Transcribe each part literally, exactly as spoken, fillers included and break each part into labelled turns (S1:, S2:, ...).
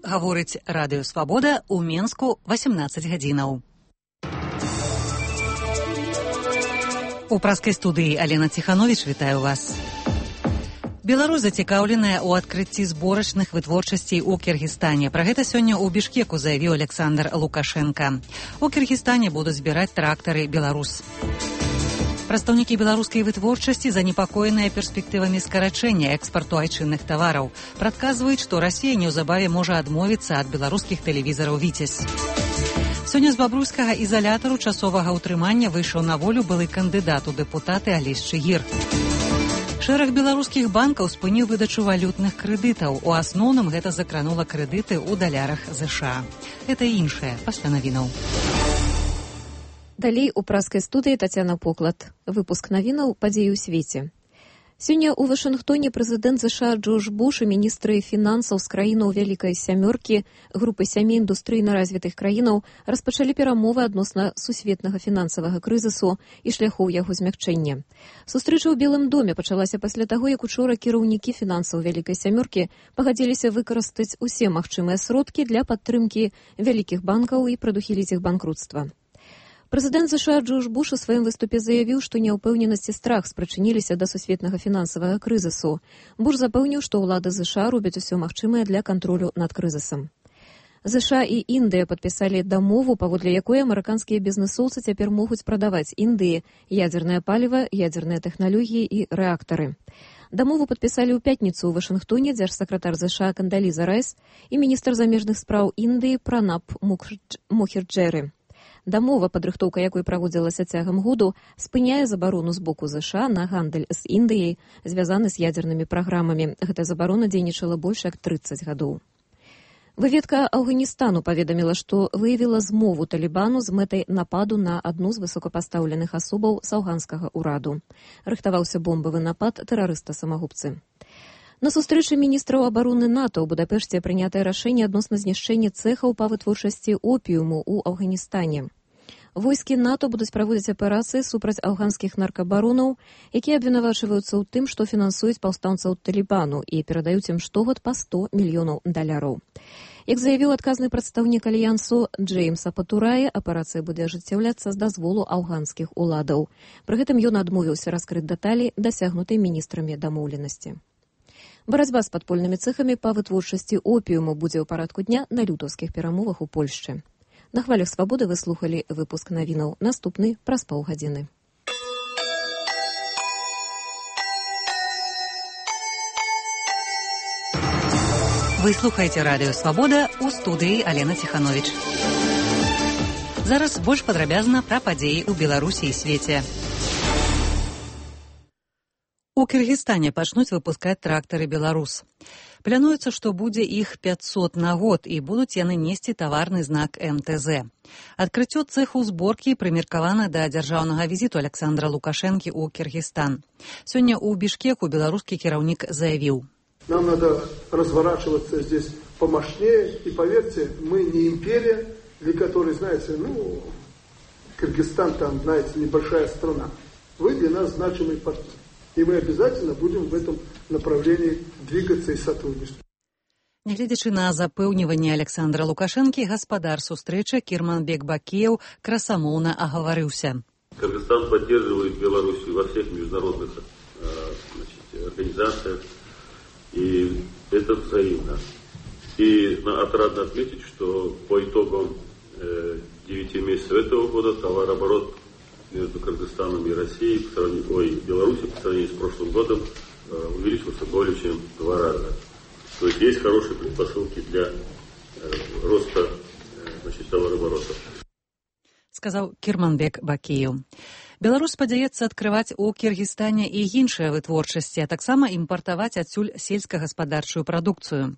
S1: гаворыць радыё Свабода ў Менску васемнаццаць гадзінаў. У праскай студыі Алена Ціхановіч вітаю вас. Беларусь зацікаўленая ў адкрыцці зборачных вытворчасцей у Кіргізстане. Пра гэта сёння ў Бішкеку заявіў Александр Лукашенко. У Кіргізстане будуць збіраць трактары «Беларус». Прадстаўнікі беларускай вытворчасці занепакоеныя перспектывамі скарачэння экспарту айчынных тавараў. Прадказваюць, што Расія неўзабаве можа адмовіцца ад беларускіх тэлевізараў «Віцязь». Сёння з бабруйскага ізалятару часовага ўтрымання выйшаў на волю былы кандыдат у дэпутаты Алесь Чыгір. Шэраг беларускіх банкаў спыніў выдачу валютных крэдытаў. У асноўным гэта закранула крэдыты ў далярах ЗША. Гэта і іншае пасля навінаў.
S2: Далей у праскай студыі Тацяна Поклад. Выпуск навінаў падзеі ў свеце. Сёння ў Вашынгтоне прэзідэнт ЗША Джордж Буш і міністры фінансаў з краінаў Вялікай сямёркі, групы сямі індустрыйна развітых краінаў распачалі перамовы адносна сусветнага фінансавага крызісу і шляхоў яго змякчэння. Сустрэча ў Белым доме пачалася пасля таго, як учора кіраўнікі фінансаў Вялікай сямёркі пагадзіліся выкарыстаць усе магчымыя сродкі для падтрымкі вялікіх банкаў і прадухіліць іх банкрутства. Прэзідэнт ЗША Джордж Буш у сваім выступе заявіў, што няўпэўненасць і страх спрычыніліся да сусветнага фінансавага крызісу. Буш запэўніў, што ўлады ЗША робяць усё магчымае для кантролю над крызісам. ЗША і Індыя падпісалі дамову, паводле якой амерыканскія бізнэсоўцы цяпер могуць прадаваць Індыі ядзернае паліва, ядзерныя тэхналогіі і рэактары. Дамову падпісалі ў пятніцу ў Вашынгтоне дзяржсакратар ЗША Кандаліза Райс і міністр замежных спраў Індыі Пранаб Мухерджэры. Дамова, падрыхтоўка якой праводзілася цягам году, спыняе забарону з боку ЗША на гандаль з Індыяй, звязаны з ядзернымі праграмамі. Гэта забарона дзейнічала больш як трыццаць гадоў. Выведка Афганістану паведаміла, што выявіла змову Талібану з мэтай нападу на адну з высокапастаўленых асобаў з афганскага ўраду. Рыхтаваўся бомбавы напад тэрарыста-самагубцы. На сустрэчы міністраў абароны НАТО ў Будапешце прынятае рашэнне адносна знішчэння цэхаў па вытворчасці опіуму ў Афганістане. Войскі НАТО будуць праводзіць аперацыі супраць афганскіх наркабаронаў, якія абвінавачваюцца ў тым, што фінансуюць паўстанцаў Талібану і перадаюць ім штогод па сто мільёнаў даляраў. Як заявіў адказны прадстаўнік альянсу Джеймса Патурае, аперацыя будзе ажыццяўляцца з дазволу афганскіх уладаў. Пры гэтым ён адмовіўся раскрыць дэталі дасягнутай міністрамі дамоўленасці. Барацьба з падпольнымі цэхамі па вытворчасці опіуму будзе ў парадку дня на лютаўскіх перамовах у Польшчы. На хвалях Свабоды вы слухалі выпуск навінаў. Наступны праз паўгадзіны.
S1: Вы слухаеце радыё Свабода, у студыі Алена Ціхановіч. Зараз больш падрабязна пра падзеі ў Беларусі і свеце. У Кіргізстане пачнуць выпускаць трактары «Беларус». Плануецца, што будзе іх пяцьсот на год і будуць яны несці таварны знак эм тэ зэ. Адкрыццё цэху зборкі прымеркавана да дзяржаўнага візіту Александра Лукашэнкі ў Кіргізстан. Сёння ў Бішкеку беларускі кіраўнік заявіў:
S3: «Нам надо разворачиваться здесь помощнее, и поверьте, мы не империя, для которой, знаете, ну, Кыргызстан там, знаете, небольшая страна. Вы для нас значимый партнер. И мы обязательно будем в этом направлении двигаться и сотрудничать».
S1: Нягледзячы на запэўніванне Александра Лукашэнкі, гаспадар сустрэчы Кірманбек Бакеев красамоўна агаварыўся.
S4: Кыргызстан поддерживает Белоруссию во всех международных значит, организациях, и это взаимно. И отрадно отметить, что по итогам девяти месяцев этого года товарооборот между Кыргызстаном и Россией, по сравнению, ой, Беларусью по сравнению с прошлым годом э, увеличился более чем в два раза. То есть есть хорошие предпосылки для э, роста э, значит, товарооборота.
S1: Сказал Кірманбек Бакеев. Беларусь спадзяецца адкрываць у Кіргізстане і іншыя вытворчасці, а таксама імпартаваць адсюль сельскагаспадарчую прадукцыю.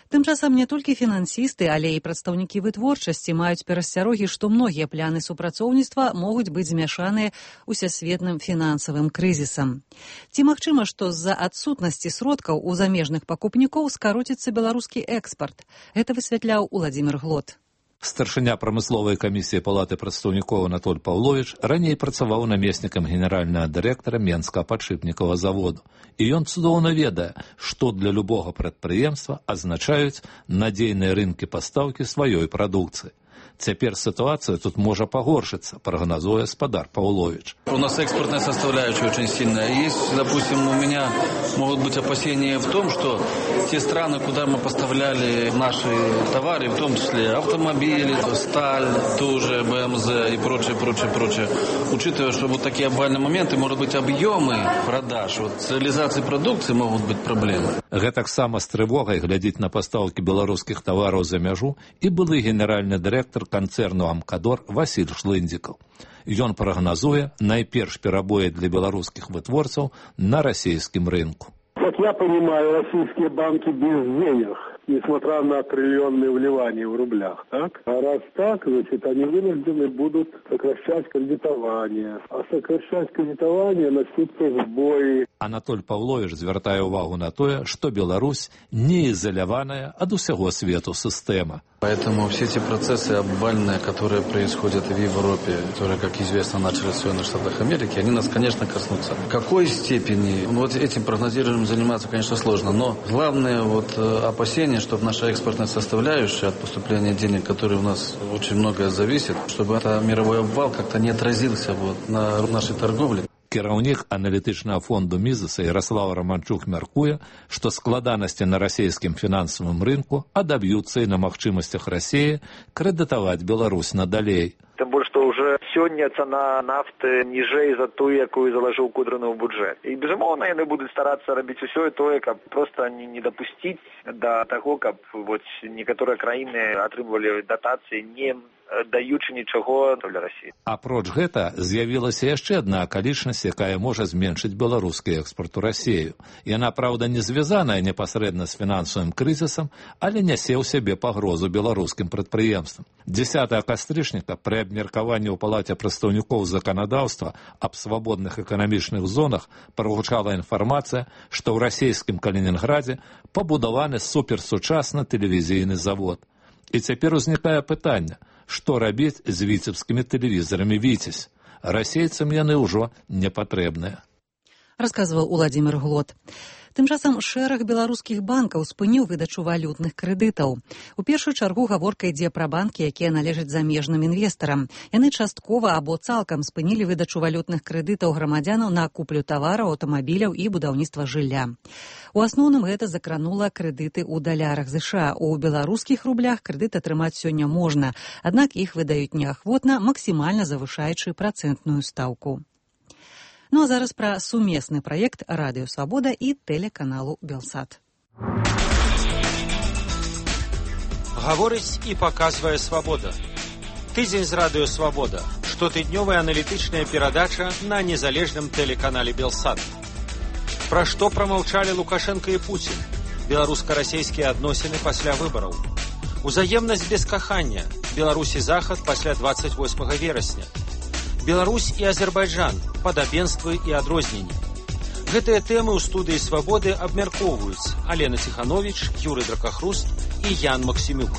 S1: Тым часам не толькі фінансісты, але і прадстаўнікі вытворчасці маюць перасцярогі, што многія пляны супрацоўніцтва могуць быць змяшаныя усесветным фінансавым крызісам. Ці магчыма, што з-за адсутнасці сродкаў у замежных пакупнікоў скароціцца беларускі экспарт? Гэта высвятляў Уладзімір Глот.
S5: Старшыня прамысловай камісіі Палаты прадстаўнікоў Анатоль Паўловіч раней працаваў намеснікам генеральнага дырэктара Менскага падшипнікавага заводу. І ён цудоўна ведае, што для любога прадпрыемства азначаюць надзейныя рынкі пастаўкі сваёй прадукцыі. Теперь ситуация тут может погоршиться, прогнозуя Спадар Павлович.
S6: У нас экспортная составляющая очень сильная. Есть, допустим, у меня могут быть опасения в том, что те страны, куда мы поставляли наши товары, в том числе автомобили, сталь, тоже БМЗ и прочее, прочее, прочее, учитывая, что вот такие обвальные моменты, может быть, объемы продаж, вот с реализацией продукции могут быть проблемы.
S5: Гэтак сама з трывогай глядзіць на пастаўкі беларускіх тавараў за мяжу і былы генеральны дырэктар канцэрну «Амкадор» Васіль Шлындзікаў. Ён прагназуе найперш перабоі для беларускіх вытворцаў на расійскім рынку.
S7: Как я понимаю, российские банки без денег, несмотря на триллионные вливания в рублях, так? А раз так, значит, они вынуждены будут сокращать кредитование. А сокращать кредитование начнутся сбои.
S5: Анатоль Павлович звяртае ўвагу на тое, што Беларусь не изоляваная ад усяго свету сістэма.
S6: Поэтому все эти процессы обвальные, которые происходят в Европе, которые, как известно, начали в Соединенных Штатах Америки, они нас, конечно, коснутся. В какой степени? Ну, вот этим прогнозированием заниматься, конечно, сложно. Но главное вот опасение, чтобы наша экспортная составляющая от поступления денег, которые у нас очень многое зависит, чтобы этот мировой обвал как-то не отразился вот на нашей торговле.
S5: Кіраўнік аналітычнага фонду Мізеса Ярослав Романчук мяркуе, што складанасці на расійскім фінансавым рынку адаб'юцца і на магчымасцях Расіі крэдытаваць Беларусь надалей.
S8: Тым больш, што ўжо сёння цана нафты ніжэй за тую, якую залажыў Кудрыны ў бюджэт. І, безумоўна, яны будуць старацца рабіць усё і тое, каб проста не дапусціць да таго, каб вот некаторыя краіны атрымлівалі датацыі, не даючы нічого для Расіі.
S5: Апроч гэта з'явілася яшчэ адна акалічнасць, якая можа зменшыць беларускі экспорт у Расію. Яна, праўда, не звязаная непасрэдна з фінансавым крызісам, але нясе ў сябе пагрозу беларускім прадпрыемствам. дзесятага кастрычніка пры абмеркаванні ў Палаце прадстаўнікоў заканадаўства аб свабодных эканамічных зонах прагучала інфармацыя, што ў расійскім Калінінградзе пабудаваны суперсучасны тэлевізійны завод. І цяпер узнікае пытанне, што рабіць з віцебскімі тэлевізорамі «Віцязь». Расейцам яны ўжо не патрэбныя.
S1: Расказваў Уладзімір Глот. Тым часам шэраг беларускіх банкаў спыніў выдачу валютных крэдытаў. У першую чаргу гаворка ідзе пра банкі, якія належаць замежным інвестарам. Яны часткова або цалкам спынілі выдачу валютных крэдытаў грамадзянаў на куплю тавараў, аўтамабіляў і будаўніцтва жылля. У асноўным гэта закранула крэдыты ў далярах ЗША. У беларускіх рублях крэдыт атрымаць сёння можна, аднак іх выдаюць неахвотна, максімальна завышаючы працэнтную стаўку. Ну а зараз пра сумесны праект Радыё Свабода і тэлеканалу Белсат.
S9: Гаворыць і паказвае Свабода. Тыдзень з Радыё Свабода. Штотыднёвая аналітычная перадача на незалежным тэлеканале Белсат. Пра што прамаўчалі Лукашенко і Пуцін? Беларуска-расейскія адносіны пасля выбараў. Узаемнасць без кахання. Беларусь і Захад пасля дваццаць восьмага верасня. Беларусь і Азербайджан, падабенствы і адрозненні. Гэтыя тэмы ў студыі «Свабоды» абмяркоўваюць Алена Ціхановіч, Юрый Дракахруст і Ян Максімюк.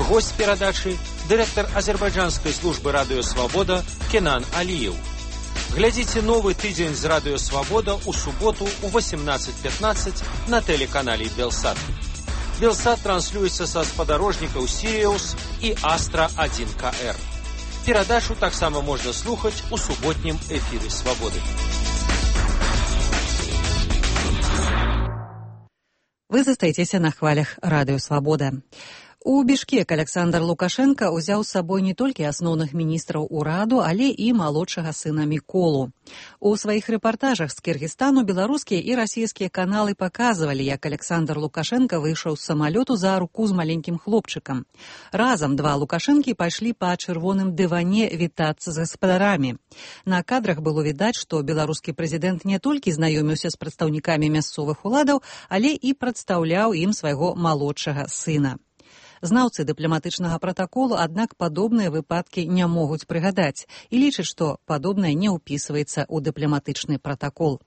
S9: Госць перадачы – дырэктар азербайджанскай службы «Радыё Свабода» Кенан Аліеў. Глядзіце новы тыдзень з «Радыё Свабода» у суботу ў восемнадцаць пятнаццаць на тэлеканале Белсат. Белсат транслюецца са спадарожнікаў «Сіриус» і «Астра один ка эр». Перадачу таксама можна слухаць у суботнім эфіры «Свабоды».
S1: Вы застаецеся на хвалях Радыё Свабода. У Бішкек Александр Лукашенко ўзяў з сабой не толькі асноўных міністраў ураду, але і малодшага сына Міколу. У сваіх рэпартажах з Кіргізстану беларускія і расійскія каналы паказвалі, як Александр Лукашенко выйшаў з самалёту за руку з маленькім хлопчыкам. Разам два Лукашэнкі пайшлі па чырвоным дыване вітацца з гаспадарамі. На кадрах было відаць, што беларускі прэзідэнт не толькі знаёміўся з прадстаўнікамі мясцовых уладаў, але і прадстаўляў ім свайго малодшага сына. Знаўцы дыпламатычнага пратаколу, аднак падобныя выпадкі не могуць прыгадаць і лічаць, што падобнае не ўпісваецца ў дыпламатычны пратакол.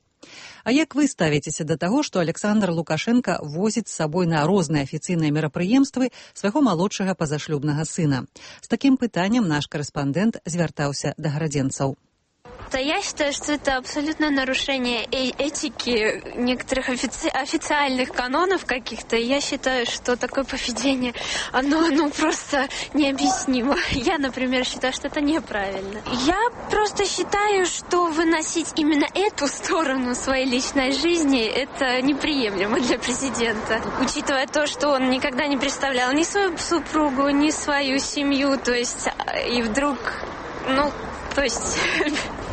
S1: А як вы ставіцеся да таго, што Александр Лукашенко возіць з сабой на розныя афіцыйныя мерапрыемствы свайго малодшага пазашлюбнага сына? З такім пытаннем наш карэспандэнт звяртаўся да гарадзенцаў.
S10: Да, я считаю, что это абсолютное нарушение э- этики некоторых офици- официальных канонов каких-то. Я считаю, что такое поведение, оно ну, просто необъяснимо. Я, например, считаю, что это неправильно. Я просто считаю, что выносить именно эту сторону своей личной жизни, это неприемлемо для президента. Учитывая то, что он никогда не представлял ни свою супругу, ни свою семью, то есть, и вдруг, ну, то есть...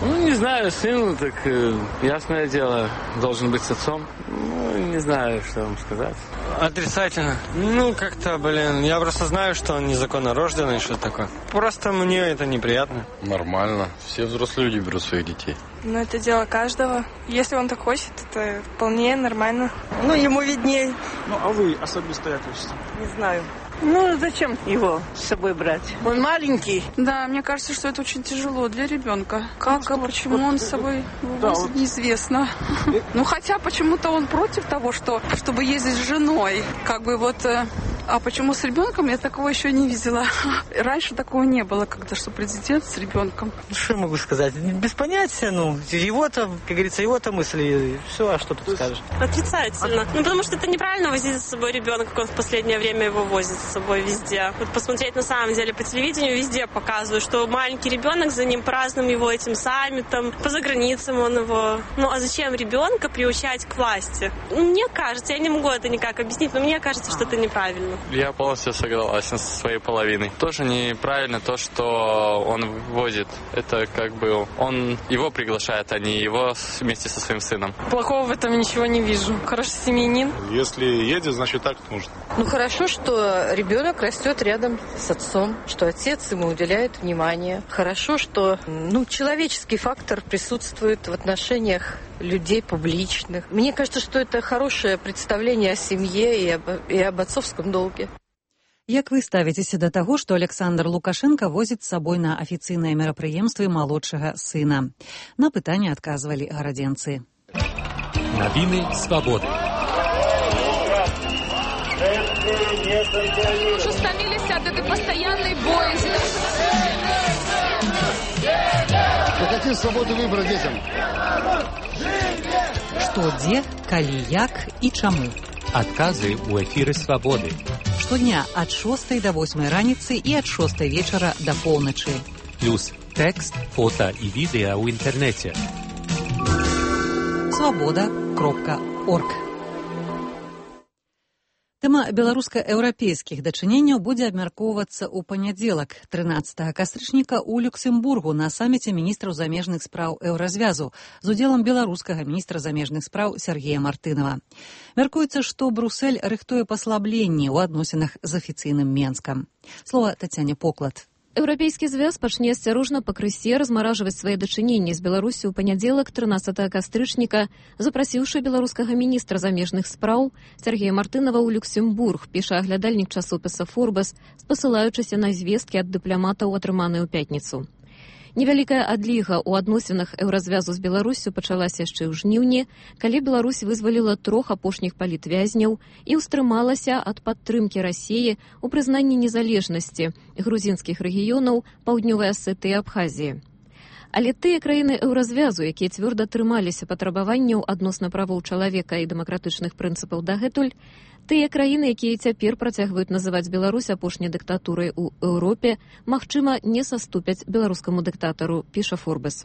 S11: Ну, не знаю, сын, так, э, ясное дело, должен быть с отцом. Ну, не знаю, что вам сказать.
S12: Отрицательно. Ну, как-то, блин, я просто знаю, что он незаконно рожденный, что такое. Просто мне это неприятно.
S13: Нормально. Все взрослые люди берут своих детей.
S14: Ну, это дело каждого. Если он так хочет, это вполне нормально.
S15: Ну, ему видней.
S16: Ну, а вы особисто як хочете?
S15: Не знаю. Ну, зачем его с собой брать? Он маленький.
S14: Да, мне кажется, что это очень тяжело для ребенка. Как, а почему он с собой
S16: да,
S14: возит,
S16: вот.
S14: неизвестно. Ну, хотя почему-то он против того, что, чтобы ездить с женой. Как бы вот... А почему с ребенком? Я такого еще не видела. Раньше такого не было, когда что президент с ребенком.
S15: Что я могу сказать? Без понятия, ну, его-то, как говорится, его-то мысли. Все, а что тут скажешь?
S17: Отрицательно. Ну, потому что это неправильно возить за собой ребенка, как он в последнее время его возит с собой везде. Вот посмотреть на самом деле по телевидению везде показывают, что маленький ребенок, за ним празднуем его этим саммитом, по заграницам он его... Ну, а зачем ребенка приучать к власти? Мне кажется, я не могу это никак объяснить, но мне кажется, что это неправильно.
S11: Я полностью согласен со своей половиной. Тоже неправильно то, что он возит. Это как бы он его приглашает, а не его вместе со своим сыном.
S14: Плохого в этом ничего не вижу. Хороший семьянин.
S13: Если едет, значит так нужно.
S18: Ну хорошо, что ребенок растет рядом с отцом, что отец ему уделяет внимание. Хорошо, что ну, человеческий фактор присутствует в отношениях людей публичных. Мне кажется, что это хорошее представление о семье и об, и об отцовском долге.
S1: Як вы ставіцеся да таго, што Александр Лукашенко возіць з сабой на афіцыйныя мерапрыемствы малодшага сына? На пытанне адказвалі гарадзенцы.
S9: Навіны свабоды.
S14: Уже стомились от этой постоянной боязни.
S19: Какие свободы выбора детям?
S1: Што, дзе, калі, як і чаму?
S9: Адказы ў эфіры свабоды.
S1: Штодня ад шостай да восьмай раніцы і ад шостай вечара да поўначы.
S9: Плюс тэкст, фота і відэа ў інтэрнэце.
S1: свобода кропка орг. Тэма беларуска-еўрапейскіх дачыненняў будзе абмяркоўвацца ў панядзелак, трынаццатага кастрычніка ў Люксембургу на саміце міністраў замежных спраў еўразвязу з удзелам беларускага міністра замежных спраў Сергея Мартынова. Мяркуецца, што Брусэль рыхтуе паслабленні ў адносінах з афіцыйным Менскам. Слова Тацяне Поклад.
S2: Еўрапейскі звяз пачне асцярожна пакрысе размаражваць свае дачыненні з Беларусі ў панядзелак трынаццатага кастрычніка, запрасіўшы беларускага міністра замежных спраў Сергея Мартынова ў Люксембург, піша аглядальнік часопіса «Форбес», спасылаючыся на звесткі ад дыпламатаў, атрыманыя ў пятніцу. Невялікая адліга ў адносінах еўразвязу з Беларусю пачалася яшчэ ў жніўні, калі Беларусь вызваліла трох апошніх палітвязняў і ўстрымалася ад падтрымкі Расіі ў прызнанні незалежнасці грузінскіх рэгіёнаў Паўднёвай Асетыі і Абхазіі. Але тыя краіны еўразвязу, якія цвёрда трымаліся патрабаванняў адносна правоў чалавека і дэмакратычных прынцыпаў дагэтуль, тыя краіны, якія цяпер працягваюць называць Беларусь апошняй дыктатурай у Еўропе, магчыма, не саступяць беларускаму дыктатару, піша «Форбес».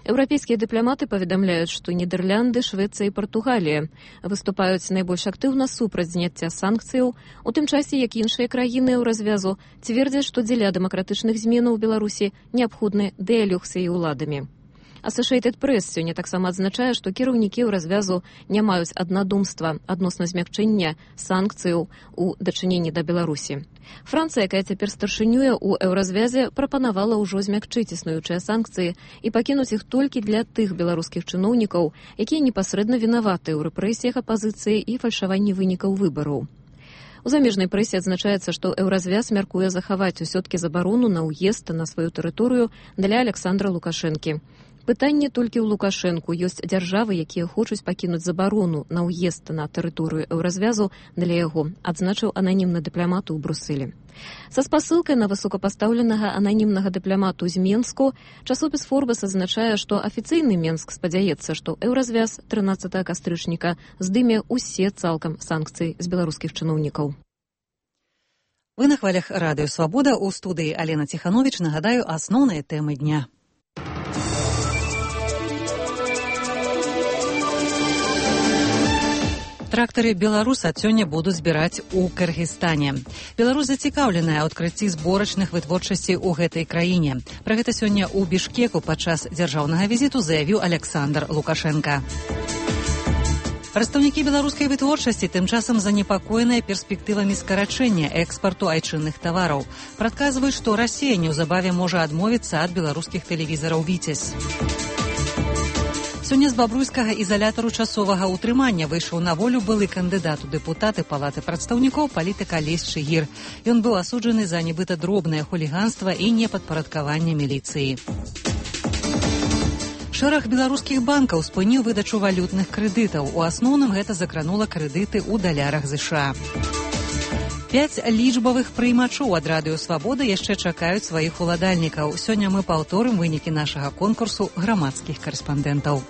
S2: Еўрапейскія дыпламаты паведамляюць, што Нідерланды, Швецыя і Партугалія выступаюць найбольш актыўна супраць зняцця санкцыяў, у тым часе, як іншыя краіны еўразвязу цвердзяць, што дзеля дэмакратычных зменаў у Беларусі неабходны дыялог з яе ўладамі. Associated Press сёння таксама адзначае, што кіраўнікі еўразвязу не маюць аднадумства адносна змякчэння санкцыяў у дачыненні да Беларусі. Францыя, якая цяпер старшынюе ў еўразвязе, прапанавала ўжо змякчыць існуючыя санкцыі і пакінуць іх толькі для тых беларускіх чыноўнікаў, якія непасрэдна вінаваты ў рэпрэсіях апазіцыі і фальшаванні вынікаў выбараў. У замежнай прэсе адзначаецца, што еўразвяз мяркуе захаваць усё-ткі забарону на ўезд на сваю тэрыторыю для Александра Лукашэнкі. Пытанне толькі ў Лукашэнку. Ёсць дзяржавы, якія хочуць пакінуць забарону на ўезд на тэрыторыю еўразвязу для яго, адзначыў ананімны дыпламат у Брусэлі. Са спасылкай на высокапастаўленага ананімнага дыпламату з Менску часопіс Форбес азначае, што афіцыйны Менск спадзяецца, што еўразвяз трынаццатага кастрычніка здыме ўсе цалкам санкцыі з беларускіх чыноўнікаў.
S1: Вы на хвалях радыё «Свабода», у студыі Алена Ціхановіч. Нагадаю, асноўныя тэмы дня. Трактары «Беларус» ад сёння будуць збіраць у Кыргызстане. Беларусь зацікаўленая ў адкрыцці зборачных вытворчасцей у гэтай краіне. Пра гэта сёння ў Бішкеку падчас дзяржаўнага візіту заявіў Александр Лукашенко. Прадстаўнікі беларускай вытворчасці тым часам занепакоеныя перспектывамі скарачэння экспарту айчынных тавараў. Прадказваюць, што Расія неўзабаве можа адмовіцца ад беларускіх тэлевізараў «Віцязь». Сёння з бабруйскага ізалятару часовага ўтрымання выйшаў на волю былы кандыдат у дэпутаты Палаты прадстаўнікоў палітык Алесь Чыгір. Ён быў асуджаны за нібыта дробнае хуліганства і непадпарадкаванне міліцыі. Шэраг беларускіх банкаў спыніў выдачу валютных крэдытаў. У асноўным гэта закранула крэдыты ў далярах ЗША. Пяць лічбавых прыймачоў ад радыё «Свабода» яшчэ чакаюць сваіх уладальнікаў. Сёння мы паўторым вынікі нашага конкурсу грамадскіх карэспандэнтаў.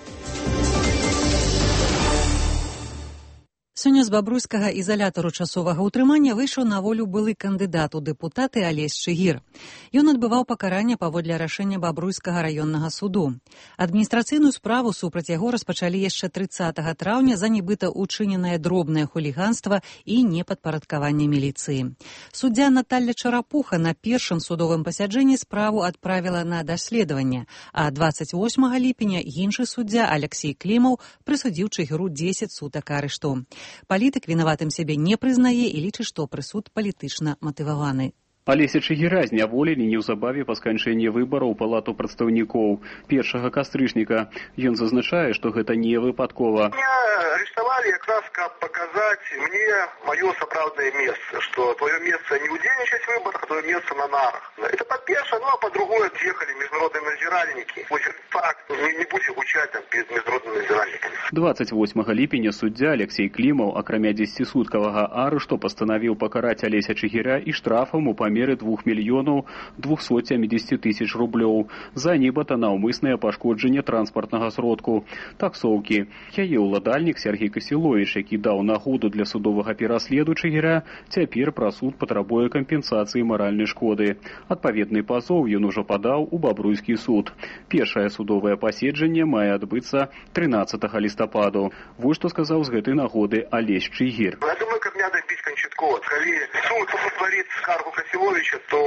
S1: Сёння з бабруйскага ізалятару часовага ўтрымання выйшаў на волю былы кандыдат у дэпутаты Алесь Чыгір. Ён адбываў пакаранне паводле рашэння бабруйскага раённага суду. Адміністрацыйную справу супраць яго распачалі яшчэ трыццатага траўня за нібыта учыненае дробнае хуліганства і непадпарадкаванне міліцыі. Суддзя Наталля Чарапуха на першым судовым пасяджэнні справу адправіла на даследаванне, а дваццаць восьмага ліпеня іншы суддзя Алексей Клімаў прысудзіў Чыгіру дзесяць сутак арышту. Палітык вінаватым сябе не прызнае і лічыць, што прысуд палітычна матываваны.
S20: Алеся Чыгіра зняволілі неўзабаве па сканчэнні выбараў у Палату прадстаўнікоў першага кастрычніка. Ён зазначае, што гэта не выпадкова.
S21: Меня арестовали как раз, как показать мне мое сапраўдное место, что твое место не удзельнічаць в выборах, а твое место на нарах. Это по-першае, ну а по-другое отъехали международные надзиральники. Вот так, не, не будете гучать там перед международными надзиральниками.
S20: дваццаць восьмага ліпеня суддзя Алексей Клімаў, акрамя дзесяцісуткавага арышту, пастанавіў пакараць Алеся Чыгіра і штрафам у меры двух мільёнаў двухсот сямидесяти тысяч рублёў за нібыта наўмыснае пашкоджанне транспартнага сродку таксоўкі. Яе ўладальнік Сергей Касіловіч, які даў нагоду для судовага пераследу Чыгіра, цяпер пра суд патрабуе кампенсацыі маральнай шкоды. Адпаведны пазоў ён ужо падаў у бабруйскі суд. Першае судовае паседжанне мае адбыцца трынаццатага лістападу. Вось што сказаў з гэтай нагоды Алесь Чыгір.
S21: Я думаю, как мне добить Кончаткова. Калі суд удовлетворит скаргу Касіловича, то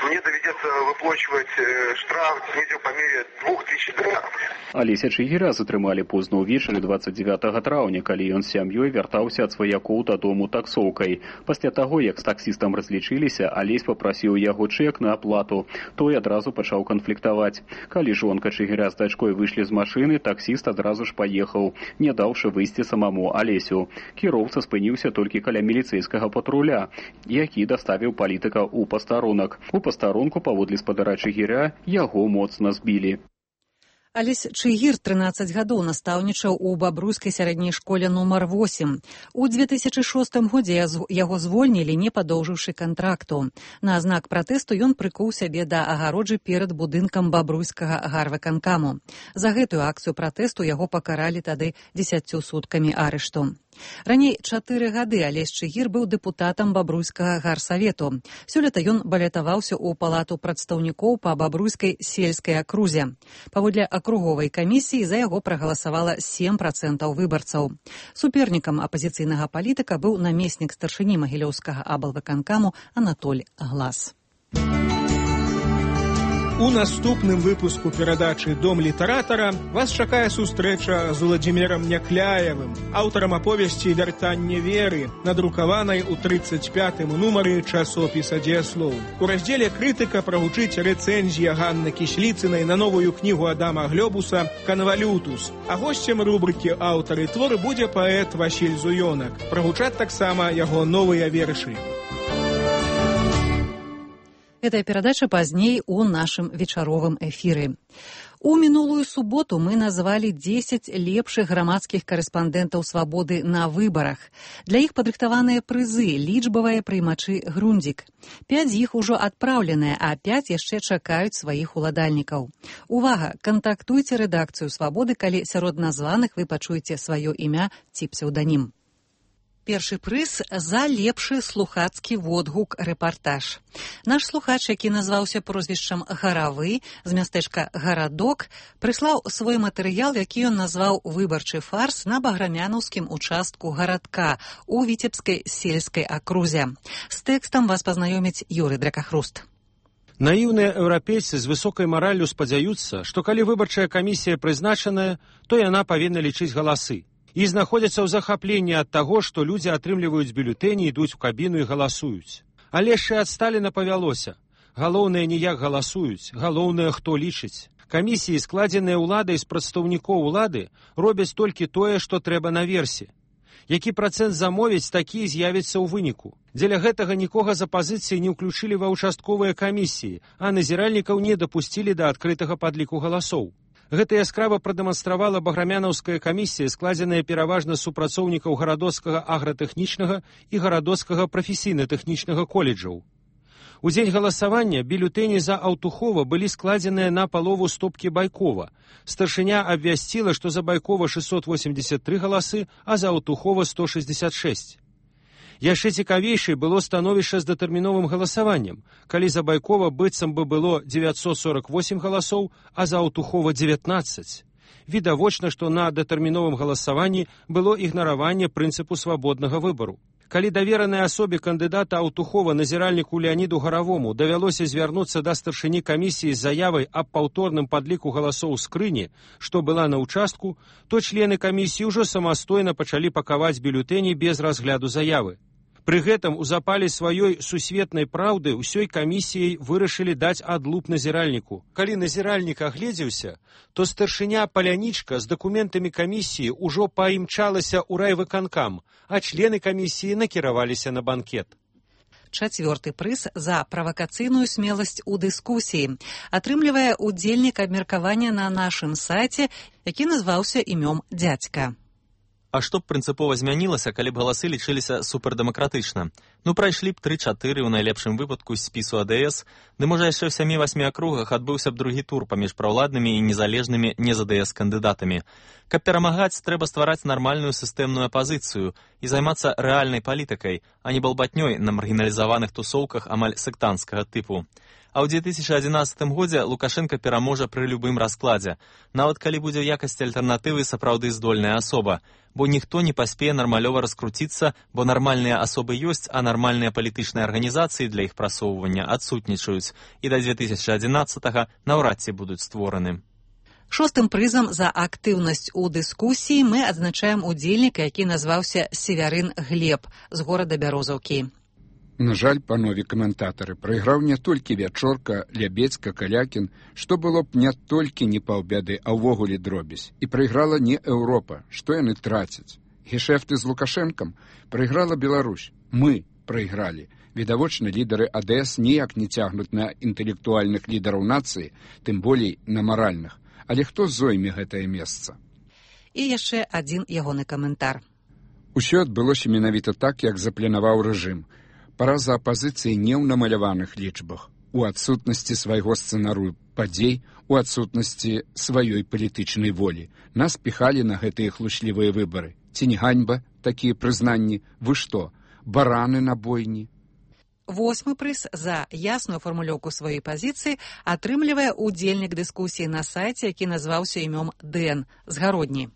S21: мне доведется выплачивать штраф недзе по мере двух тысяч долларов.
S20: Алеся Чыгіра затрымалі позна ўвечары дваццаць дзевятага траўня, калі ён з сям'ёй вяртаўся ад сваякоў дадому таксоўкай. Пасля таго, як з таксістам разлічыліся, Алесь папрасіў яго чэк на аплату. Той адразу пачаў канфліктаваць. Калі жонка Чыгіра з дачкой выйшлі з машыны, таксіст адразу ж паехаў, не даўшы выйсці самому Алесю. Кіроўца спыніўся толькі каля міліцэйскага патруля, які даставіў палітыка у пастарунак. У пастарунку паводле спадара Чыгіра яго моцна збілі.
S1: Алесь Чыгір трынаццаць гадоў настаўнічаў у бабруйскай сярэдняй школе нумар восем. У дзве тысячы шостым годзе яго звольнілі, не падоўжыўшы кантракту. На знак пратэсту ён прыкуў сябе да агароджы перад будынкам бабруйскага гарвыканкаму. За гэтую акцыю пратэсту яго пакаралі тады дзесяццю суткамі арышту. Раней чатыры гады Алесь Чыгір быў дэпутатам бабруйскага гарсавету. Сёлета ён балятаваўся ў Палату прадстаўнікоў па бабруйскай сельскай акрузе. Паводле акруговай камісіі за яго прагаласавала сем працэнтаў выбарцаў. Супернікам апазіцыйнага палітыка быў намеснік старшыні магілёўскага аблвыканкаму Анатоль Глас.
S16: У наступным выпуску перадачы «Дом літаратара» вас чакае сустрэча з Уладзімірам Някляевым, аўтарам аповесці «Вяртанне веры», надрукаванай у трыццаць пятым нумары часопіса «Дзеяслоў». У раздзеле «Крытыка» прагучыць рэцэнзія Ганны Кісліцынай на новую кнігу Адама Глёбуса «Канвалютус». А госцем рубрыкі «Аўтары творы» будзе паэт Васіль Зуёнак. Прагучаць таксама яго новыя вершы.
S1: Гэтая перадача пазней у нашым вечаровым эфіры. У мінулую суботу мы назвалі дзесяць лепшых грамадскіх карэспандэнтаў «Свабоды» на выбарах. Для іх падрыхтаваныя прызы, лічбавыя прыймачы «Грундзік». Пяць з іх ужо адпраўленыя, а пяць яшчэ чакаюць сваіх уладальнікаў. Увага! Кантактуйце рэдакцыю «Свабоды», калі сярод названых вы пачуеце сваё імя ці псеўданім. Першы прыз за лепшы слухацкі водгук рэпартаж. Наш слухач, які назваўся прозвішчам Гаравы з мястэчка Гарадок, прыслаў свой матэрыял, які ён назваў «Выбарчы фарс» на баграмянаўскім участку гарадка у Віцебскай сельскай акрузе. З тэкстам вас пазнаёміць Юрый Дракахруст.
S3: Наіўныя еўрапейцы з высокай мараллю спадзяюцца, што калі выбарчая камісія прызначаная, то яна павінна лічыць галасы. І знаходзяцца ў захапленні ад таго, што людзі атрымліваюць бюлетэні, ідуць у кабіну і галасуюць. Але яшчэ ад Сталіна павялося. Галоўнае не як галасуюць, галоўнае хто лічыць. Камісіі, складзеныя ўладай з прадстаўнікоў улады, робяць толькі тое, што трэба наверсе. Які працэнт замовіць, такі з'явіцца ў выніку. Дзеля гэтага нікога з апазіцыі не ўключылі ва ўчастковыя камісіі, а назіральнікаў не дапусцілі да адкрытага падліку галасоў. Гэта яскрава прадэманстравала баграмянаўская камісія, складзеная пераважна з супрацоўнікаў гарадоцкага агратэхнічнага і гарадоцкага прафесійна-тэхнічнага коледжаў. У дзень галасавання бюлетэні за Аўтухова былі складзеныя на палову стопкі Байкова. Старшыня абвясціла, што за Байкова шэсцьсот восемьдесят тры галасы, а за Аўтухова сто шэсцьдесят шэсць. Яшчэ цікавейшай было становішча з датэрміновым галасаваннем, калі за Байкова быццам бы было дзевяцьсот сорок восемь галасоў, а за Аўтухова дзевятнаццаць. Відавочна, што на датэрміновым галасаванні было ігнараванне прынцыпу свабоднага выбару. Калі даверанай асобе кандыдата Аўтухова назіральніку Леаніду Гаравому давялося звярнуцца да старшыні камісіі з заявай аб паўторным падліку галасоў у скрыні, што была на ўчастку, то члены камісіі ўжо самастойна пачалі пакаваць бюлетэні без разгляду заявы. Пры гэтым у запале сваёй сусветнай праўды ўсёй камісіяй вырашылі даць адлуп назіральніку. Калі назіральнік агледзеўся, то старшыня Палянічка з дакументамі камісіі ўжо паімчалася ў райвыканкам, а члены камісіі накіраваліся на банкет.
S1: Чацвёрты прыз за правакацыйную смеласць у дыскусіі атрымлівае удзельнік абмеркавання на нашым сайце, які назваўся імём дзядзька.
S22: А што б прынцыпова змянілася, калі б галасы лічыліся супердэмакратычна? Ну, прайшлі б тры-чатыры ў найлепшым выпадку з спісу АДС, ды можа яшчэ ў сямі-васьмі акругах адбыўся б другі тур паміж праўладнымі і незалежнымі не-ЗДС кандыдатамі. Каб перамагаць, трэба ствараць нармальную сістэмную апазіцыю і займацца рэальнай палітыкай, а не балбатнёй на маргіналізаваных тусоўках амаль сектанцкага тыпу. А ў дзве тысячы адзінаццатым годзе Лукашенка пераможа пры любым раскладзе, нават калі будзе ў якасці альтэрнатывы сапраўды здольная асоба, бо ніхто не паспее нармалёва раскруціцца, бо нармальныя асобы ёсць, а нармальныя палітычныя арганізацыі для іх прасоўвання адсутнічаюць, і да дзве тысячы адзінаццатага наўрад ці будуць створаны.
S1: Шостым прызам за актыўнасць у дыскусіі мы адзначаем удзельніка, які назваўся Севярын Глеб з горада Бярозаўкі.
S23: На жаль, панове каментатары, прайграў не толькі Вячорка, Лябецька, Калякін, што было б не толькі не паўбяды, а ўвогуле дробязь. І прайграла не Еўропа, што яны трацяць. Гешэфты з Лукашэнкам прайграла Беларусь. Мы прайгралі. Відавочна, лідары АДС ніяк не цягнуць на інтэлектуальных лідараў нацыі, тым болей на маральных. Але хто зойме гэтае месца?
S1: І яшчэ адзін ягоны каментар.
S23: Усё адбылося менавіта так, як запланаваў рэжым. Параза апазіцыі не ў намаляваных лічбах, у адсутнасці свайго сцэнарыю падзей, у адсутнасці сваёй палітычнай волі. Нас піхалі на гэтыя хлучлівыя выбары. Ці не ганьба такія прызнанні? Вы што, бараны на бойні?
S1: Восьмы прыз за ясную фармулёўку сваёй пазіцыі атрымлівае удзельнік дыскусіі на сайце, які назваўся імём Дэн з Гародні.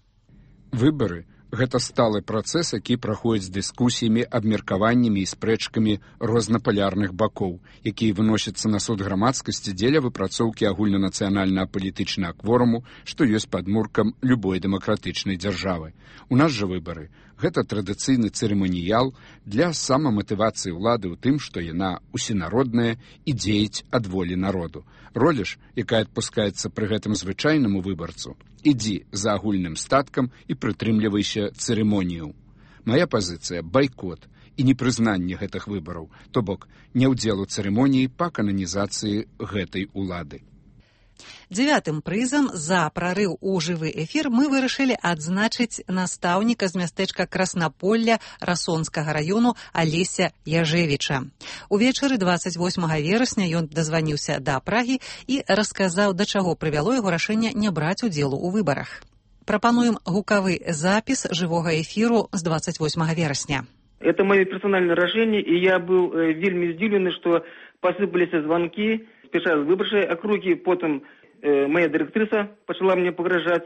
S23: Выбары гэта сталы працэс, які праходзіць з дыскусіямі, абмеркаваннямі і спрэчкамі рознапалярных бакоў, якія выносяцца на суд грамадскасці дзеля выпрацоўкі агульнанацыянальнага палітычнага кворуму, што ёсць падмуркам любой дэмакратычнай дзяржавы. У нас жа выбары гэта традыцыйны цырыманіял для самаматывацыі ўлады ў тым, што яна усенародная і дзеяць ад волі народу. Роля ж, якая адпускаецца пры гэтым звычайнаму выбарцу, ідзі за агульным статкам і прытрымлівайся цырымоніяў. Мая пазіцыя – байкот і непрызнанне гэтых выбараў, то бок не ўдзел у цырымоніі па кананізацыі гэтай улады.
S1: Дзявятым прызам за прарыў у жывы эфір мы вырашылі адзначыць настаўніка з мястэчка Краснаполля Расонскага раёну Алеся Яжевіча. Увечары дваццаць восьмага верасня ён дазваніўся да Прагі і расказаў, да чаго прывяло яго рашэнне не браць удзелу ў выбарах. Прапануем гукавы запіс жывога эфіру з двадцать восьмага верасня.
S4: Это мое персональное решение, и я был э, вельми здивленный, что посыпались звонки, спеша з выборчай округи, потом э, моя директриса почала мне погрожать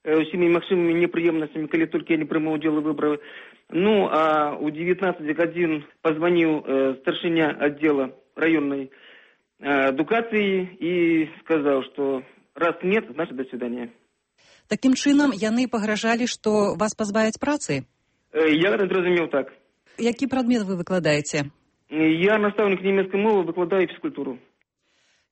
S4: э, всеми максимумами неприемностями, коли только я не приму удел выборов. Ну, а у девятнадцати годин позвонил э, старшиня отдела районной э, адукации и сказал, что раз нет, значит до свидания.
S1: Таким чынам, яны пагражалі, што вас пазбавяць працы?
S4: Э, я зразумеў так.
S1: Які прадмет вы выкладаеце?
S4: Я настаўнік нямецкай мовы, выкладаю фізкультуру.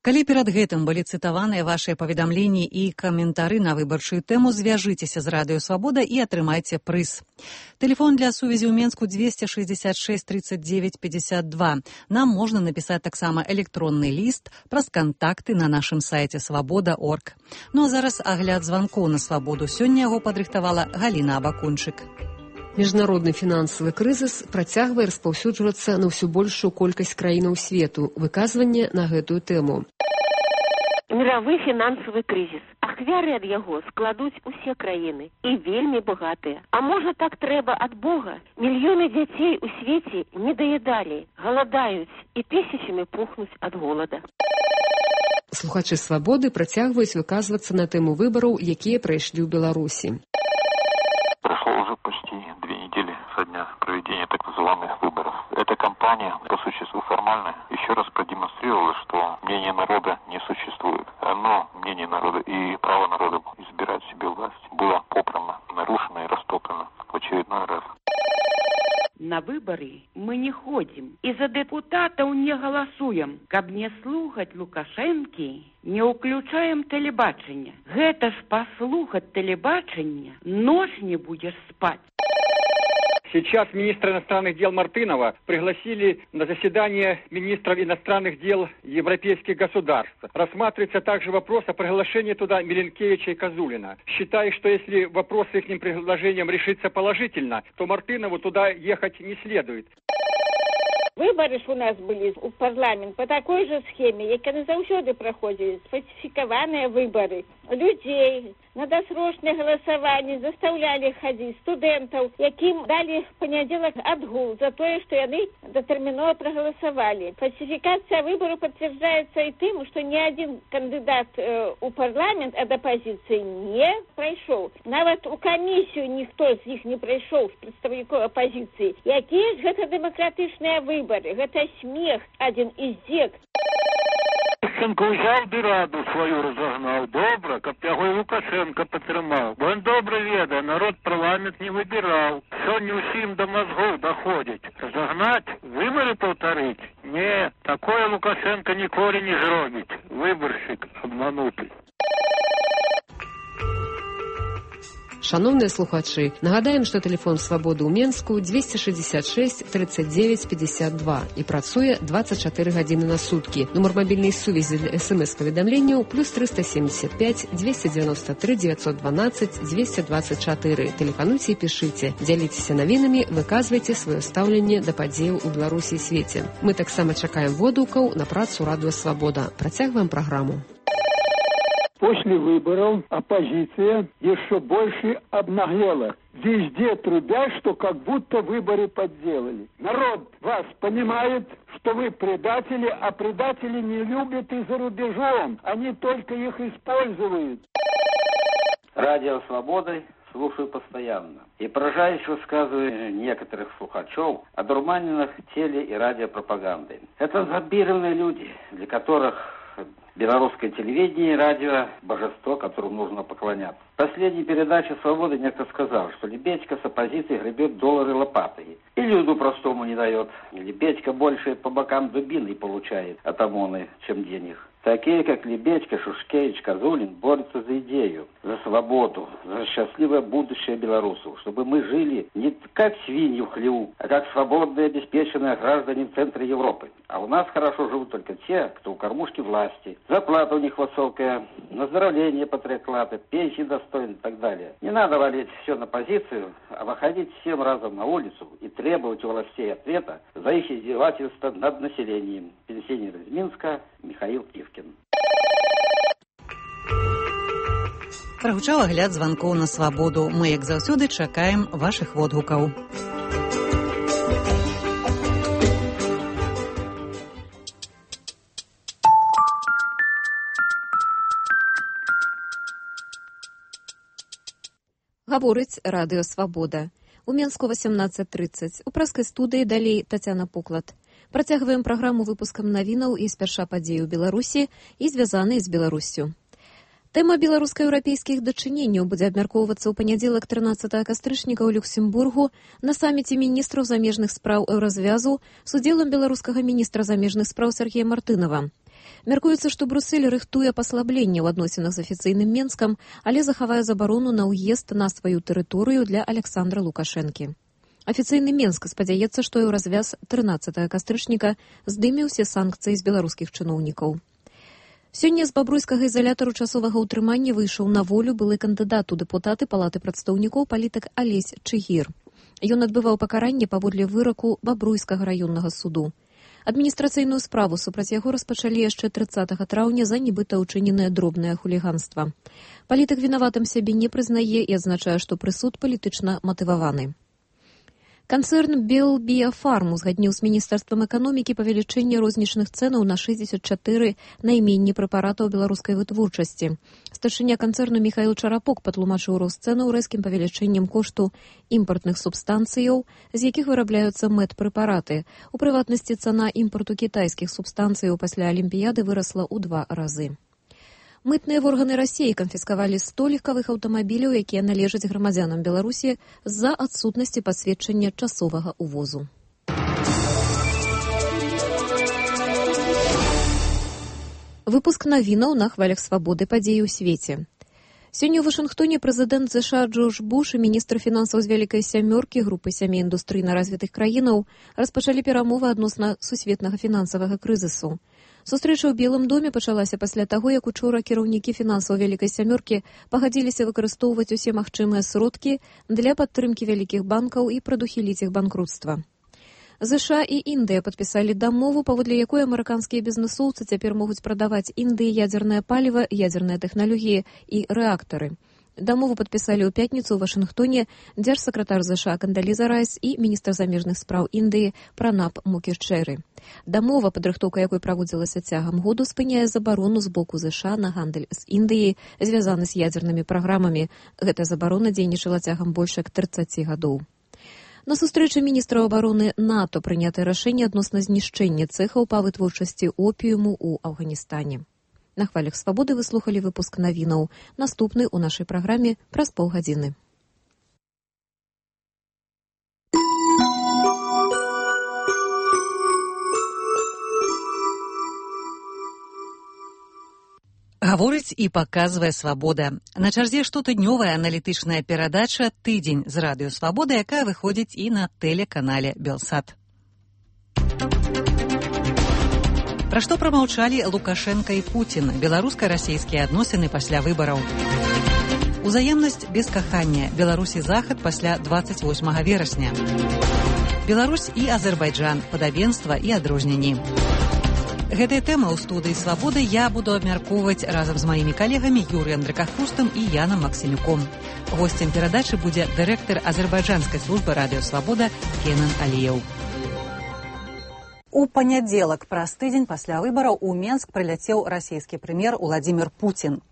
S1: Калі перад гэтым былі цытаваныя вашыя паведамленні і каментары на выбарчую тэму, звяжыцеся з Радыё Свабода і атрымайце прыз. Тэлефон для сувязі ў Менску двести шестьдесят шесть тридцать девять пятьдесят два. Нам можна напісаць таксама электронны ліст праз кантакты на нашым сайце свабода точка орг. Ну а зараз агляд званкоў на свабоду. Сёння яго падрыхтавала Галіна Абакунчык.
S6: Міжнародны фінансавы крызіс працягвае распаўсюджвацца на ўсё большую колькасць краінаў свету. Выказванне на гэтую тэму.
S7: Мировы фінансавы крызіс. Ахвяры ад яго складуць усе краіны і вельмі багатыя. А можа так трэба ад Бога? Мільёны дзяцей у свеце не даядалі, галадаюць і тысячамі пухнуць ад голода.
S6: Слухачы свабоды працягваюць выказвацца на тэму выбараў, якія прайшлі ў Беларусі.
S24: Со дня проведения так называемых выборов. Эта кампания, по существу формальная, еще раз продемонстрировала, что мнение народа не существует. Но мнение народа и право народа избирать себе власть было попрано, нарушено и растоптано в очередной раз.
S25: На выборы мы не ходим и за депутатов не голосуем. Каб не слухать Лукашенки, не уключаем телебачення. Гэта ж послухать телебачення, ночь не будешь спать.
S26: Сейчас министра иностранных дел Мартынова пригласили на заседание министров иностранных дел европейских государств. Рассматривается также вопрос о приглашении туда Миленкевича и Козулина. Считаю, что если вопрос с их предложением решится положительно, то Мартынову туда ехать не следует.
S27: Выборы ж у нас были в парламент по такой же схеме, як яны заўсёды праходзілі, сфальсифікаваныя выборы. Людей на досрочное голосование заставляли ходить студентов, яким дали в понедельник отгул за то, что они дотерминово проголосовали. Фальсификация выборов подтверждается и тем, что ни один кандидат э, у парламент от оппозиции не прошел. Нават у комиссию никто из них не прошел, представников оппозиции. Якие же это демократичные выборы? Это смех, один из зек.
S28: Лукашенко взял бы раду свою разогнал. Добро, каб яго и Лукашенко потрымал. Бо он добро ведае, народ парламент не выбирал. Сёння усім до мозгов доходит. Разогнать, выборы повторить? Не, такое Лукашенко ніколі не зробить. Выборщик обманутый.
S6: Шановныя слухачы, нагадаем, што тэлефон свабоды ў Менску двести шестьдесят шесть тридцать девять пятьдесят два і працуе двадцать чатыры гадзіны на суткі. Нумар мабільнай сувязі для смс-паведамленняў плюс триста семьдесят пять двести девяносто три девятьсот двенадцать двести двадцать четыре. Тэлефануйце і пішыце, дзяліцеся навінамі, выказвайце сваё стаўленне да падзеяў у Беларусі і свеце. Мы таксама чакаем водгукаў на працу Радыё Свабода. Працягваем праграму.
S29: После выборов оппозиция еще больше обнаглела. Везде трубят, что как будто выборы подделали. Народ вас понимает, что вы предатели, а предатели не любят и за рубежом. Они только их используют.
S30: Радио «Свобода» слушаю постоянно. И поражаюсь высказывания некоторых слухачев о дурманенных теле- и радиопропагандой. Это зомбированные люди, для которых белорусское телевидение и радио – божество, которому нужно поклоняться. В последней передаче «Свободы» некто сказал, что Лебедько с оппозицией гребет доллары лопатой. И люду простому не дает. Лебедько больше по бокам дубиной получает от ОМОНа, чем денег. Такие, как Лебедько, Шушкевич, Козулин, борются за идею, за свободу, за счастливое будущее белорусов, чтобы мы жили не как свиньи в хлеву, а как свободные, обеспеченные граждане в центре Европы. А у нас хорошо живут только те, кто у кормушки власти. Зарплата у них высокая, оздоровление патриоклада, пенсии достойны и так далее. Не надо валить все на позицию, а выходить всем разом на улицу и требовать у властей ответа за их издевательство над населением. Пенсионер из Минска Михаил Ивкин.
S1: Прагучаў агляд званкоў на свабоду. Мы, як заўсёды, чакаем вашых водгукаў.
S2: Гаворыць радыё «Свабода». У Менску восемнадцать тридцать. У праскай студыі далей Тацяна Пуклад. Працягваем праграму выпускам навінаў і спярша падзей у Беларусі і звязаныя з Беларуссю. Тэма беларуска-еўрапейскіх дачыненняў будзе абмяркоўвацца ў панядзелак трынаццатага кастрычніка ў Люксембургу на саміце міністраў замежных спраў еўразвязу з удзелам беларускага міністра замежных спраў Сергея Мартынова. Мяркуецца, што Брюссель рыхтуе паслабленне ў адносінах з афіцыйным Менскам, але захавае забарону на ўезд на сваю тэрыторыю для Александра Лукашэнкі. Афіцыйны Менск спадзяецца, што еўразвяз трынаццатага кастрычніка здыме ўсе санкцыі з беларускіх чыноўнікаў. Сёння з бабруйскага ізалятару часовага ўтрымання выйшаў на волю былы кандыдат у дэпутаты палаты прадстаўнікоў палітык Алесь Чыгір. Ён адбываў пакаранне паводле выраку бабруйскага раённага суду. Адміністрацыйную справу супраць яго распачалі яшчэ трыццатага траўня за нібыта ўчыненае дробнае хуліганства. Палітык вінаватым сябе не прызнае і адзначае, што прысуд палітычна матываваны. Канцэрн Белбіяфарм узгадніў з Міністэрствам эканомікі павелічэнне рознічных цэнаў на шэсцьдзесят чатыры найменні прэпаратаў беларускай вытворчасці. Старшыня канцэрну Міхаіл Чарапок патлумачыў рост цэнаў рэзкім павелічэннем кошту імпартных субстанцыяў, з якіх вырабляюцца мэт-прэпараты. У прыватнасці цана імпарту кітайскіх субстанцыяў пасля Алімпіяды вырасла ў два разы. Мытныя органы Расіі канфіскавалі сто легкавых аўтамабіляў, якія належаць грамадзянам Беларусі з-за адсутнасці пасведчання часовага ўвозу. Выпуск навінаў на хвалях свабоды падзеі ў свеце. Сёння ў Вашынгтоне прэзідэнт ЗША Джордж Буш і міністр фінансаў з вялікай сямёркі групы сямі індустрыйна развітых краінаў распачалі перамовы адносна сусветнага фінансавага крызісу. Сустрэча ў Белым доме пачалася пасля таго, як учора кіраўнікі фінансаў вялікай сямёркі пагадзіліся выкарыстоўваць усе магчымыя сродкі для падтрымкі вялікіх банкаў і прадухіліць іх банкрутства. ЗША і Індыя падпісалі дамову, паводле якой амерыканскія бізнэсоўцы цяпер могуць прадаваць Індыі ядзернае паліва, ядзерныя тэхналогіі і рэактары. Дамову падпісалі ў пятніцу ў Вашынгтоне дзяржсакратар ЗША Кандаліза Райс і міністр замежных спраў Індыі Пранаб Мукерчэры. Дамова, падрыхтоўка якой праводзілася цягам году, спыняе забарону з боку ЗША на гандаль з Індыяй, звязаны з ядзернымі праграмамі. Гэтая забарона дзейнічала цягам больш як трыццаці гадоў. На сустрэчы міністраў абароны НАТО прынятае рашэнне адносна знішчэння цэхаў па вытворчасці опіуму ў Афганістане. На хвалях свабоды вы слухалі выпуск навінаў. Наступны ў нашай праграме праз паўгадзіны.
S1: Гаворыць і паказвае свабода. На чарзе штотыднёвая аналітычная перадача «Тыдзень» з радыё «Свабода», якая выходзіць і на тэлеканале «Белсат». Пра што прамаўчалі Лукашенка і Пуцін, беларуска-расійскія адносіны пасля выбараў. Узаемнасць без кахання. Беларусь і Захад пасля дваццаць восьмага верасня. Беларусь і Азербайджан. Падабенства і адрозненні. Гэтыя тэмы ў студыі «Свабоды» я буду абмяркоўваць разам з маімі калегамі Юрыем Дракахрустам і Янам Максімюком. Госцем перадачы будзе дырэктар азербайджанскай службы радыё «Свабода» Кенан Аліеў. У панядзелак праз тыдзень пасля выбараў у Менск прыляцеў расійскі прэм'ер Уладзімір Пуцін.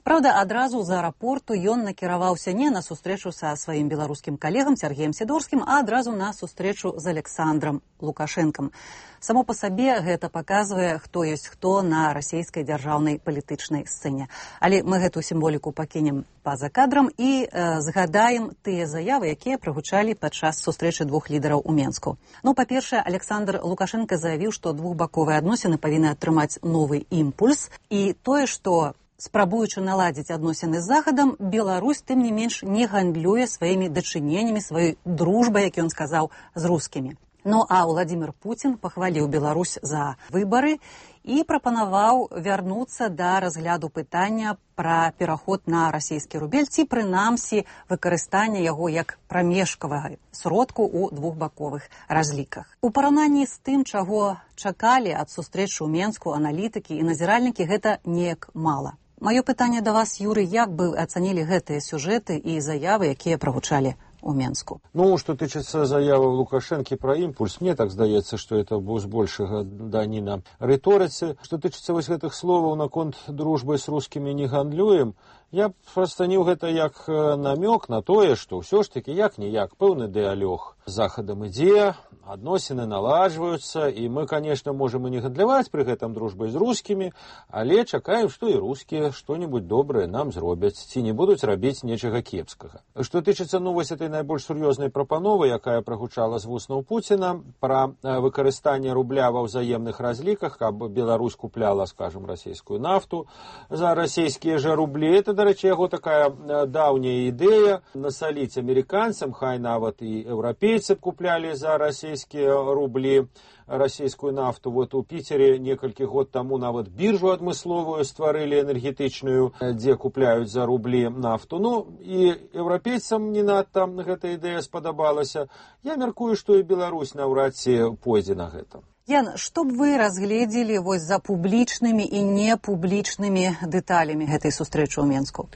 S1: Праўда, адразу з аэрапорту ён накіраваўся не на сустрэчу са сваім беларускім калегам Сергеем Сідорскім, а адразу на сустрэчу з Александром Лукашэнкам. Само па сабе гэта паказвае, хто ёсць хто на расійскай дзяржаўнай палітычнай сцэне. Але мы гэту сімволіку пакінем па-за кадрам і э, згадаем тыя заявы, якія прагучалі падчас сустрэчы двух лідараў у Менску. Ну, па-першае, Александр Лукашенко заявіў, што двухбаковыя адносіны павінны атрымаць новы імпульс, і тое, што спрабуючы наладзіць адносіны з Захадам, Беларусь, тым не менш, не гандлюе сваімі дачыненнямі, сваёй дружбай, як ён сказаў, з рускімі. Ну, а Владимир Путин пахваліў Беларусь за выбары і прапанаваў вярнуцца да разгляду пытання пра пераход на расійскі рубель ці, прынамсі, выкарыстання яго як прамежкавага сродку ў двухбаковых разліках. У параўнанні з тым, чаго чакалі ад сустрэчы ў Менску аналітыкі і назіральнікі, гэта неяк мала. Маё пытанне да вас, Юрый, як бы ацанілі гэтыя сюжэты і заявы, якія прагучалі у Менску?
S3: Ну, что тычыцца заявы Лукашэнкі пра імпульс, мне так здаецца, што это быў збольшага даніна рыторыцы. Што тычыцца вось гэтых словаў наконт дружбы з рускімі не гандлюем, я расцаніў гэта як намёк на тое, што ўсё ж такі як-ніяк пэўны дыалог з Захадам ідзе, адносіны наладжваюцца, і мы, конечно, можем і не гандляваць пры гэтым дружбай з рускімі, але чакаем, што і рускія што-нибудь добрае нам зробяць, ці не будуць рабіць нечага кепскага. Што тычыцца, ну, вось этой найбольш сур'ёзнай прапановы, якая прагучала з вуснаў Пуціна, пра выкарыстанне рубля ва ўзаемных разліках, каб Беларусь купляла, скажем, расійскую нафту за расійскія жа рублі. Это, да рэчы, яго такая даўняя ідэя насаліць амерыканцам, хай нават і еўрапейцы куплялі за расійскія рублі расійскую нафту. Вот у Піцеры некалькі год таму нават біржу адмысловую стварылі энергетычную, дзе купляюць за рублі нафту. Ну, і еўрапейцам не надта гэта ідэя спадабалася. Я мяркую, што і Беларусь наўрад ці пойдзе на гэта.
S1: Ян, што б вы разгледзелі вось за публічнымі і непублічнымі дэталямі гэтай сустрэчы ў Менску?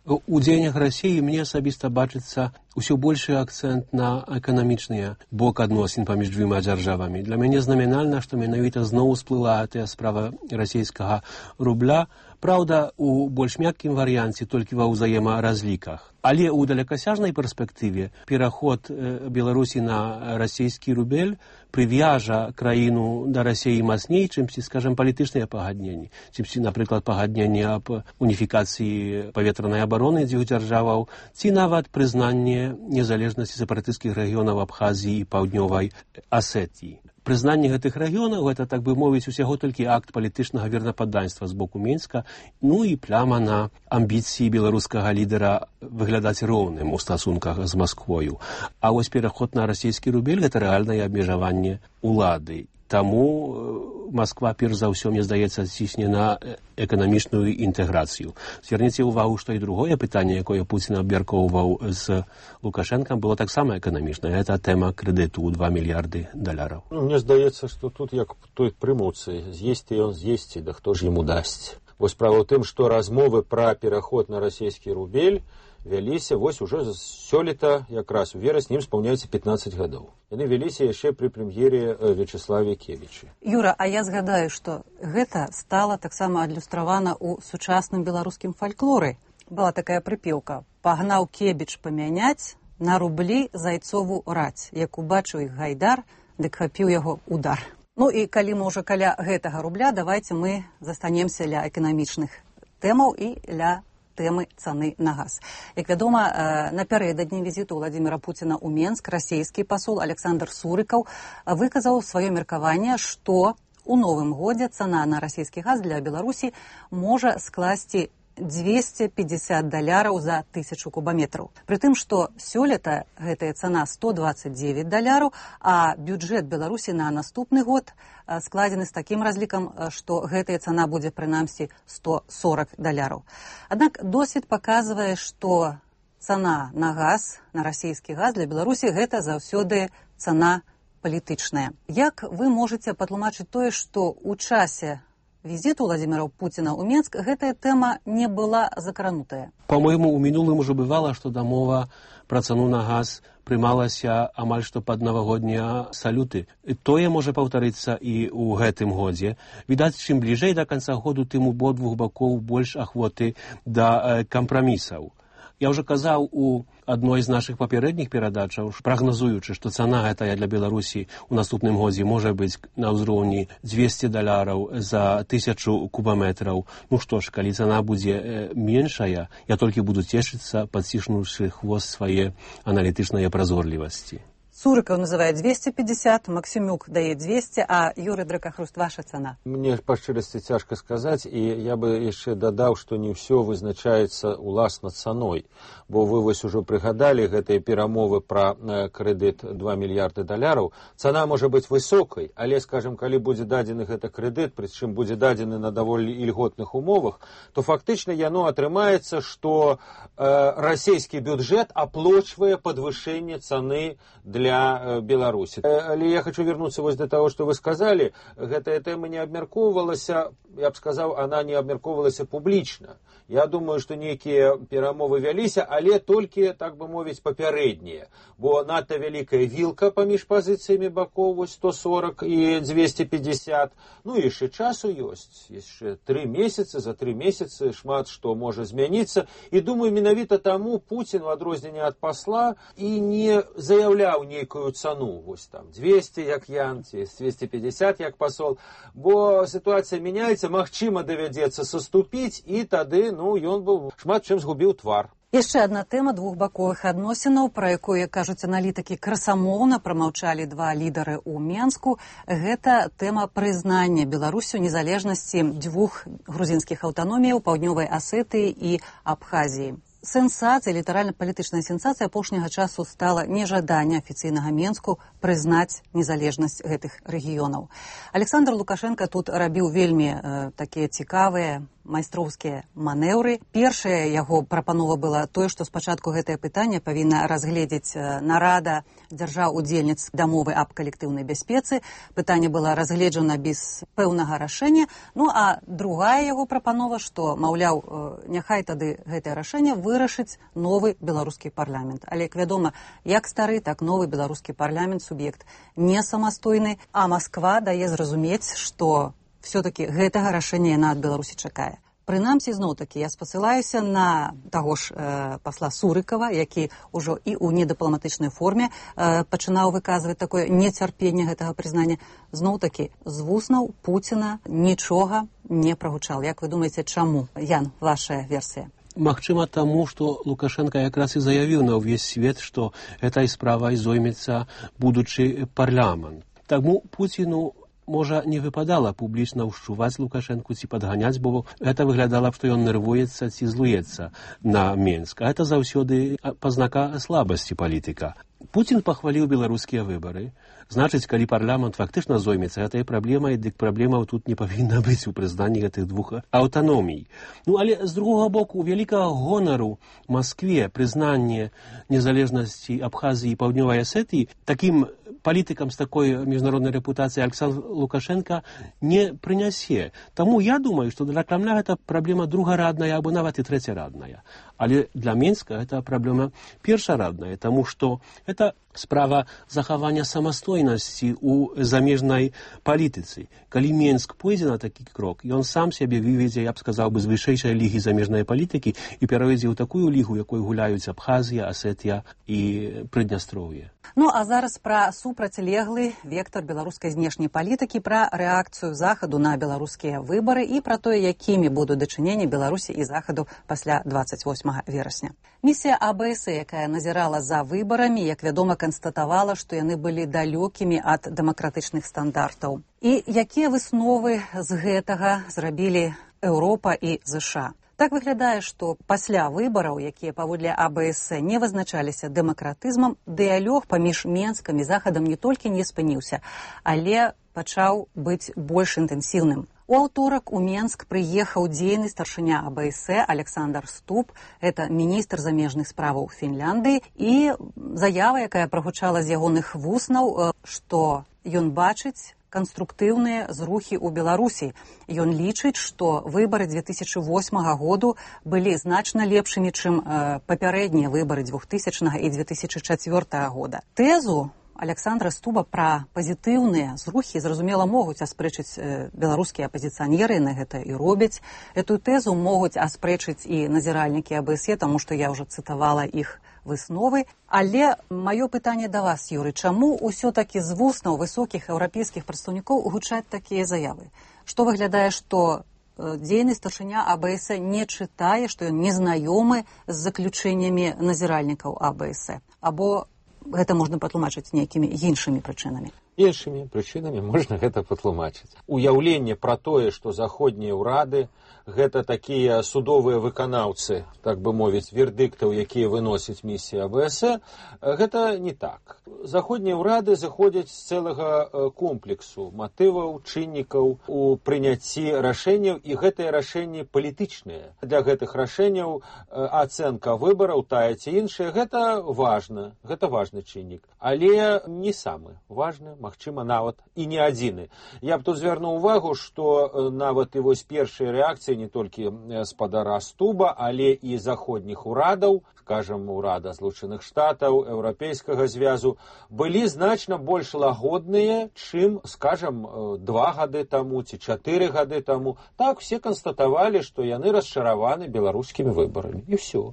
S5: У дзеяннях Расіі мне асабіста бачыцца ўсё большы акцэнт на эканамічныя бок адносін паміж дзвюма дзяржавамі. Для мяне знамінальна, што менавіта зноў усплыла тая справа расійскага рубля, праўда, у больш мяккім варыянце толькі ва ўзаемаразліках. Але ў далекасяжнай перспектыве пераход Беларусі на расійскі рубель прывяжа краіну да Расіі мацней, чымсьці, скажем, палітычныя пагадненні, чымсьці, напрыклад, пагадненні аб уніфікацыі паветранай абароны дзвюх дзяржаваў, ці нават прызнанне незалежнасці сепаратысцкіх рэгіёнаў Абхазіі і Паўднёвай Асетіі. Прызнанне гэтых рэгіёнаў, гэта, так бы мовіць, усяго толькі акт палітычнага вернападданства з боку Менска, ну і пляма на амбіцыі беларускага лідара выглядаць роўным у стасунках з Масквою. А вось пераход на расійскі рубель – гэта рэальнае абмежаванне улады. Таму Масква, перш за ўсё, мне здаецца, цісне на эканамічную інтэграцыю. Зверніце ўвагу, што і другое пытанне, якое Пуцін абмяркоўваў з Лукашэнкам, было таксама эканамічнае. Гэта тэма крэдыту ў два мільярды даляраў.
S3: Ну, мне здаецца, што тут як той прымуцы, з'есці ён з'есці, да хто ж яму дасць. Вось справа ў тым, што размовы пра пераход на расійскі рубель вяліся вось уже сёлета, якраз у верасні, ім спаўняецца пятнаццаць гадоў. Яны вяліся яшчэ пры прэм'ере Вячеславе Кевічы.
S1: Юра, а я згадаю, што гэта стала таксама адлюстравана ў сучасным беларускім фальклоры. Была такая прыпеўка: «Пагнаў Кебіч памяняць на рублі зайцову раць. Як убачыў іх гайдар, дык хапіў яго удар». Ну і калі мы ўжо каля гэтага рубля, давайце мы застанемся ля эканамічных тэмаў і ля тэмы цаны на газ. Як вядома, напярэдадні візіту Владимира Пуціна ў Менск расійскі пасол Александр Сурыкаў выказаў сваё меркаванне, што у новым годзе цана на расійскі газ для Беларусі можа скласці дзвесце пятьдесят даляраў за тысячу кубаметраў. Пры тым, што сёлета гэтая цана сто двадцать девять даляраў, а бюджэт Беларусі на наступны год складзены з такім разлікам, што гэтая цана будзе прынамсі сто сорок даляраў. Аднак досвед паказвае, што цана на газ, на расійскі газ для Беларусі гэта заўсёды цана палітычная. Як вы можаце патлумачыць тое, што ў часе візіту Владимира Пуціна ў Менск гэтая тэма не была закранутая?
S5: По-моему, у мінулым ужо бывала, што дамова пра цану на газ прымалася амаль што пад навагоднія салюты. Тое можа паўтарыцца і ў гэтым годзе. Відаць, чым бліжэй да канца году, тым у абодвух бакоў больш ахвоты да кампрамісаў. Я ўжо казаў у адной з нашых папярэдніх перадачаў, прагназуючы, што цана гэтая для Беларусі ў наступным годзе можа быць на ўзроўні дзвесце даляраў за тысячу кубаметраў. Ну што ж, калі цана будзе меншая, я толькі буду цешыцца, падціснуўшы хвост свае аналітычнай празорлівасці.
S1: Сурыкаў называе двести пятьдесят, Максимюк дае двести, а Юрий Дракахруст, ваша цана?
S9: Мне па шчырасці цяжка сказаць, і я бы яшчэ дадаў, што не ўсё вызначаецца уласна цаной, бо вы вось ужо прыгадалі гэтыя перамовы пра крэдыт два мільярды даляраў. Цана можа быць высокай, але, скажем, калі будзе дадзены гэты крэдыт, прычым будзе дадзены на даволі ільготных умовах, то фактычна яно атрымаецца, што э, расійскі бюджэт аплочвае падвышэнне цаны для для Беларусі. Але я хочу вернуться вось до того, что вы сказали. Гэтая тэма не абмяркоўвалася, я б сказаў, она не абмяркоўвалася публічна. Я думаю, што нейкія перамовы вяліся, але толькі, так бы мовіць, папярэднія. Бо надта вялікая вілка паміж пазіцыямі бакоў, вось сто сорок і двести пятьдесят. Ну, яшчэ часу ёсць. Яшчэ тры месяцы, за тры месяцы шмат што можа змяніцца. І думаю, менавіта таму Пуцін, у адрозненне ад пасла, і не заяўляў нейкую цану, вось там двести, як Ян, ці двести пятьдесят, як пасол, бо сітуацыя мяняецца, магчыма давядзецца саступіць, і тады, ну, ён быў шмат чым згубіў твар.
S1: Яшчэ адна тэма двухбаковых адносінаў, пра якую, кажуць аналітыкі, красамоўна прамаўчалі два лідары ў Менску. Гэта тэма прызнання Беларусю незалежнасці дзвюх грузінскіх аўтаноміяў, Паўднёвай Асетыі і Абхазіі. Сенсацыя, літаральна-палітычная сенсацыя апошняга часу стала нежаданне афіцыйнага Менску прызнаць незалежнасць гэтых рэгіёнаў. Александр Лукашенко тут рабіў вельмі э, такія цікавыя майстроўскія манеўры. Першая яго прапанова была тое, што спачатку гэтае пытанне павінна разгледзець нарада дзяржаў-удзельніц дамовы аб калектыўнай бяспецы. Пытанне было разгледжана без пэўнага рашэння. Ну а другая яго прапанова, што, маўляў, няхай тады гэтае рашэнне вырашыць новы беларускі парламент. Але, як вядома, як стары, так новы беларускі парламент, суб'ект не самастойны, а Масква дае зразумець, што все-таки гэтага рашэння яна ад Беларусі чакае. Прынамсі, зноў-такі, я спасылаюся на таго ж э, пасла Сурыкава, які ўжо і ў недыпламатычнай форме э, пачынаў выказваць такое нецярпенне гэтага прызнання. Зноў-такі, з вуснаў Пуціна нічога не прагучал. Як вы думаеце, чаму? Ян, ваша версія.
S5: Магчыма таму, што Лукашенко якраз і заявіў на ўвесь свет, што этой справай зоймецца будучы парламент. Таму Пуціну можа не выпадала публічна ўшчуваць Лукашэнку ці падганяць, бо гэта выглядала, што ён нервуецца ці злуецца на Менск. А гэта заўсёды пазнака слабасці палітыка. Пуцін пахваліў беларускія выбары. Значыць, калі парламент фактычна зоймецца гэтай праблемай, дык праблемаў тут не павінна быць у прызнанні гэтых двух аўтаномій. Ну, але з другога боку, вялікага гонару Маскве прызнанне незалежнасці Абхазіі і Паўднёвай Асетыі такім палітыкам з такой міжнароднай рэпутацыяй Александр Лукашенко не прынясе. Таму я думаю, што для Крамля гэта праблема другарадная або нават і трэцярадная. Але для Менска гэта праблема першарадная, таму што гэта справа захавання самастойнасці ў замежнай палітыцы. Калі Менск пойдзе на такі крок, ён сам сябе выведзе, я б сказаў бы, з вышэйшай лігі замежнай палітыкі і пераведзе ў такую лігу, якой гуляюць Абхазія, Асетія і Прыднястроўе.
S1: Ну, а зараз пра супрацьлеглы вектар беларускай знешняй палітыкі, пра рэакцыю Захаду на беларускія выбары і пра тое, якімі будуць дачыненні Беларусі і Захаду пасля двадцать восьмага верасня. Місія А Б С, якая назірала за выбарамі, як вядома, канстатавала, што яны былі далёкімі ад дэмакратычных стандартаў. І якія высновы з гэтага зрабілі Еўропа і ЗША? Так выглядае, што пасля выбараў, якія паводле А Б С не вызначаліся дэмакратызмам, дыялог паміж Менскам і Захадам не толькі не спыніўся, але пачаў быць больш інтэнсіўным. У аўторак у Менск прыехаў дзейны старшыня А Б С Александр Ступ, это міністр замежных справаў Фінляндыі, і заява, якая прагучала з ягоных вуснаў, што ён бачыць канструктыўныя зрухі ў Беларусі. Ён лічыць, што выбары две тысячы восьмага году былі значна лепшымі, чым э, папярэднія выбары двухтысячнага і две тысячы чацвёртага года. Тэзу Александра Стуба пра пазітыўныя зрухі, зразумела, могуць аспрэчыць э, беларускія апазіцыянеры, на гэта і робяць. Эту тэзу могуць аспрэчыць і назіральнікі АБСЕ, таму што я ўжо цытавала іх высновы. Але маё пытанне да вас, Юрый, чаму ўсё-такі з вуснаў высокіх еўрапейскіх прадстаўнікоў гучаць такія заявы? Што выглядае, што э, дзейны старшыня АБСЕ не чытае, што ён не знаёмы з заключэннямі назіральнікаў АБСЕ? Або гэта можна патлумачыць нейкімі іншымі прычынамі?
S9: Іншымі прычынамі можна гэта патлумачыць. Уяўленне пра тое, што заходнія ўрады гэта такія судовыя выканаўцы, так бы мовіць, вердыктаў, якія выносяць місія АБСЕ, гэта не так. Заходнія ўрады заходзяць з цэлага комплексу матываў, чыннікаў у прыняцці рашэнняў, і гэтыя рашэнні палітычныя. Для гэтых рашэнняў ацэнка выбараў, тая ці іншая, гэта важна, гэта важны чыннік, але не самы важны, магчыма, нават і не адзіны. Я б тут звярнуў увагу, што нават і вось першыя рэакцыі не толькі спадара Стуба, але і заходніх урадаў, скажам, урада Злучаных Штатаў, Еўрапейскага звязу, былі значна больш лагодныя, чым, скажам, два гады таму ці чатыры гады таму. Так, все канстатавалі, што яны расчараваны беларускімі выбарамі. І ўсё.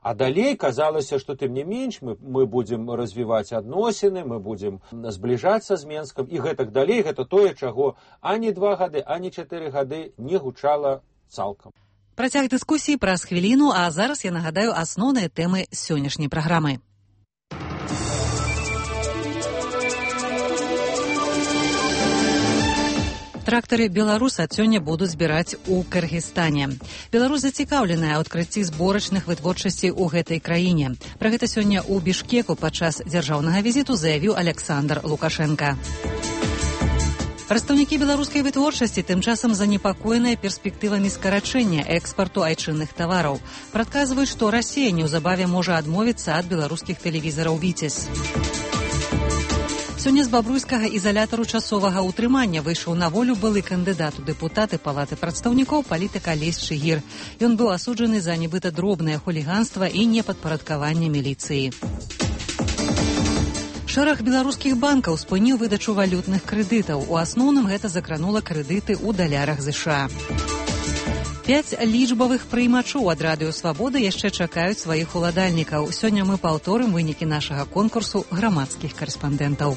S9: А далей казалася, што тым не менш мы, мы будзем развіваць адносіны, мы будзем збліжацца з Менскам, і гэтак далей, гэта тое, чаго ані два гады, ані чатыры гады не гучала цалкам.
S1: Працяг дыскусіі праз хвіліну, а зараз я нагадаю асноўныя тэмы сённяшняй праграмы. Трактары «Беларус» ад сёння будуць збіраць у Кыргызстане. Беларусь зацікаўленая ў адкрыцці зборачных вытворчасцей у гэтай краіне. Пра гэта сёння ў Бішкеку падчас дзяржаўнага візіту заявіў Александр Лукашенко. Прадстаўнікі беларускай вытворчасці тым часам занепакоеныя перспектывамі скарачэння экспарту айчынных тавараў. Прадказваюць, што Расія неўзабаве можа адмовіцца ад беларускіх тэлевізараў «Віцязь». Сёння з бабруйскага ізалятару часовага ўтрымання выйшаў на волю былы кандыдат у дэпутаты палаты прадстаўнікоў палітык Алесь Чыгір. Ён быў асуджаны за нібыта дробнае хуліганства і непадпарадкаванне міліцыі. Шэраг беларускіх банкаў спыніў выдачу валютных крэдытаў. У асноўным гэта закранула крэдыты ў далярах ЗША. Пяць лічбавых прыймачоў ад радыё «Свабода» яшчэ чакаюць сваіх уладальнікаў. Сёння мы паўторым вынікі нашага конкурсу грамадскіх карэспандэнтаў.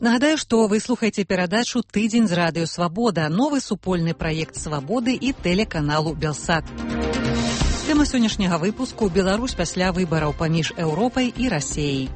S1: Нагадаю, што вы слухаеце перадачу «Тыдзень з радыё «Свабода», новы супольны праект «Свабоды» і тэлеканалу «Белсат». Тэма сённяшняга выпуску «Беларусь пасля выбараў паміж Еўропай і Расіяй».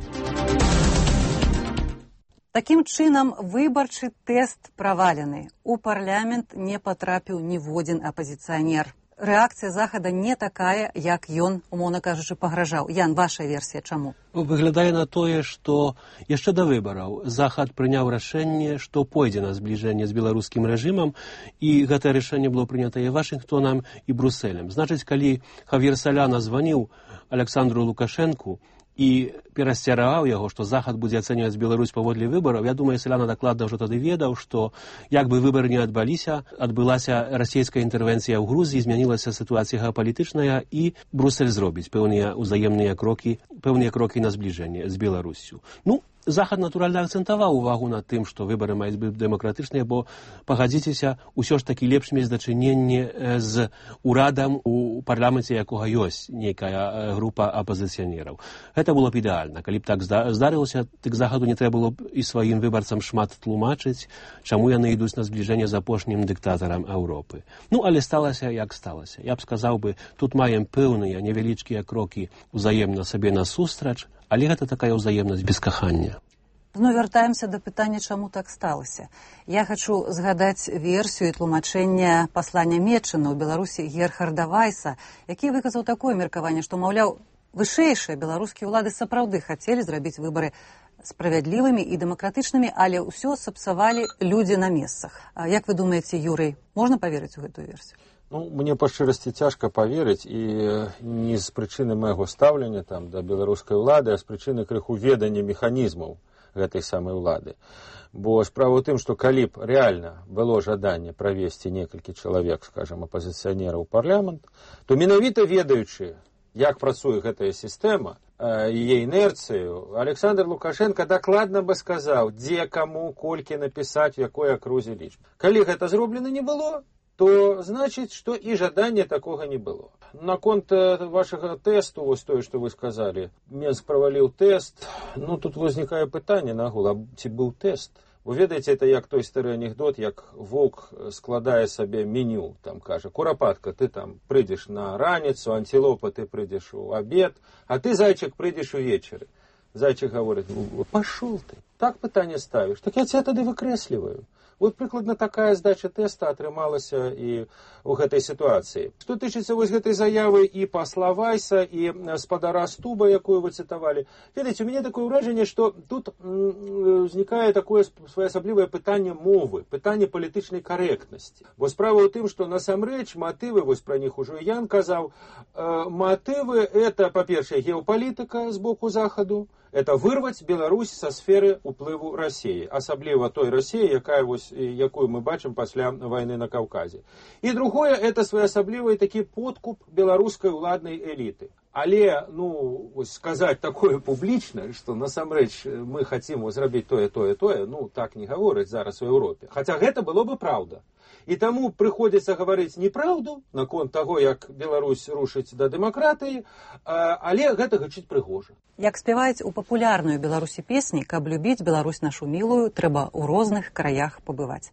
S1: Такім чынам, выбарчы тэст правалены. У парламент не патрапіў ніводзін апазіцыянер. Рэакцыя Захада не такая, як ён, умоўна кажучы, пагражаў. Ян, ваша версія чаму?
S5: Выглядае на тое, што яшчэ да выбараў Захад прыняў рашэнне, што пойдзе на збліжэнне з беларускім рэжымам, і гэтае рашэнне было прынята і Вашынгтонам, і Брусэлем. Значыць, калі Хав'ер Саляна званіў Александру Лукашэнку і перасцярагаў яго, што Захад будзе ацэньваць Беларусь паводле выбараў, я думаю, Саляна дакладна ўжо тады ведаў, што як бы выбары не адбыліся, адбылася расійская інтэрвенцыя ў Грузіі, змянілася сітуацыя геапалітычная, і Брусэль зробіць пэўныя ўзаемныя крокі, пэўныя крокі на збліжэнне з Беларуссю. Ну, Захад, натуральна, акцэнтаваў увагу на тым, што выбары маюць быць дэмакратычныя, бо, пагадзіцеся, усё ж такі лепш мець дачыненне з урадам у парламенце, якога ёсць нейкая група апазіцыянераў. Гэта было б ідэальна. Калі б так здарылася, дык Захаду не трэба было б і сваім выбарцам шмат тлумачыць, чаму яны ідуць на збліжэнне з апошнім дыктатарам Еўропы. Ну, але сталася, як сталася. Я б сказаў бы, тут маем пэўныя невялічкія крокі ўзаемна сабе насустрач, але гэта такая ўзаемнасць без кахання.
S1: Ну, вяртаемся да пытання, чаму так сталася. Я хачу згадаць версію і тлумачэння паслання Метчына ў Беларусі Герхарда Вайса, які выказаў такое меркаванне, што, маўляў, вышэйшыя беларускія ўлады сапраўды хацелі зрабіць выбары справядлівымі і дэмакратычнымі, але ўсё сапсавалі людзі на месцах. А як вы думаеце, Юрый, можна паверыць у гэтую версію?
S9: Ну, мне па шчырасці цяжка паверыць, і не з прычыны майго стаўлення там да беларускай улады, а з прычыны крыху ведання механізмаў
S3: гэтай самай улады. Бо справа ў тым, што калі б рэальна было жаданне правесці некалькі чалавек, скажам, апазіцыянераў у парламент, то менавіта ведаючы, як працуе гэтая сістэма, яе інерцыю, Александр Лукашенко дакладна бы сказаў, дзе, каму, колькі напісаць, у якой акрузе лічб. Калі гэта зроблена не было, то значыць, што і жадання такога не было. Наконт вашага тэсту, вось тое, што вы сказалі, Менск праваліў тэст, ну тут узнікае пытанне нагул, а ці быў тэст? Вы ведаеце, это як той стары анекдот, як воўк складае сабе меню, там кажа, курапатка, ты там прыйдзеш на раніцу, антилопа, ты прыйдзеш у абед, а ты, зайчык, прыйдзеш увечары. Зайчык гаворыць, пашоў ты, так пытанне ставіш, так я ця тады выкрэсліваю. Вот прыкладна такая здача тэста атрымалася і ў гэтай сітуацыі. Што тычыцца вось гэтай заявы і пасла Вайса, і спадара Стуба, якую вы цытавалі, ведаеце, у мяне такое ўражанне, што тут узнікае такое своеасаблівае пытанне мовы, пытанне палітычнай карэктнасці. Бо справа ў тым, што насамрэч матывы, вось пра них ужо Ян казаў, матывы это, па-першае, геапалітыка з боку Захаду, это вырваць Беларусь са сферы ўплыву Расіі, асабліва той Расіі, якая вось, якую мы бачым пасля вайны на Каўказе. І другое, это своеасаблівы такі подкуп беларускай уладнай эліты. Але, ну, вось сказаць такое публічна, што насамрэч мы хацім зрабіць тое, тое, тое, ну, так не гавораць зараз у Еўропе. Хаця гэта было бы праўда. І таму прыходзіцца гаварыць неправду наконт таго, як Беларусь рушыць да дэмакратыі, але гэта гучыць прыгожа.
S1: Як спяваюць у папулярную Беларусі песні, каб любіць Беларусь нашу мілую, трэба ў розных краях пабываць.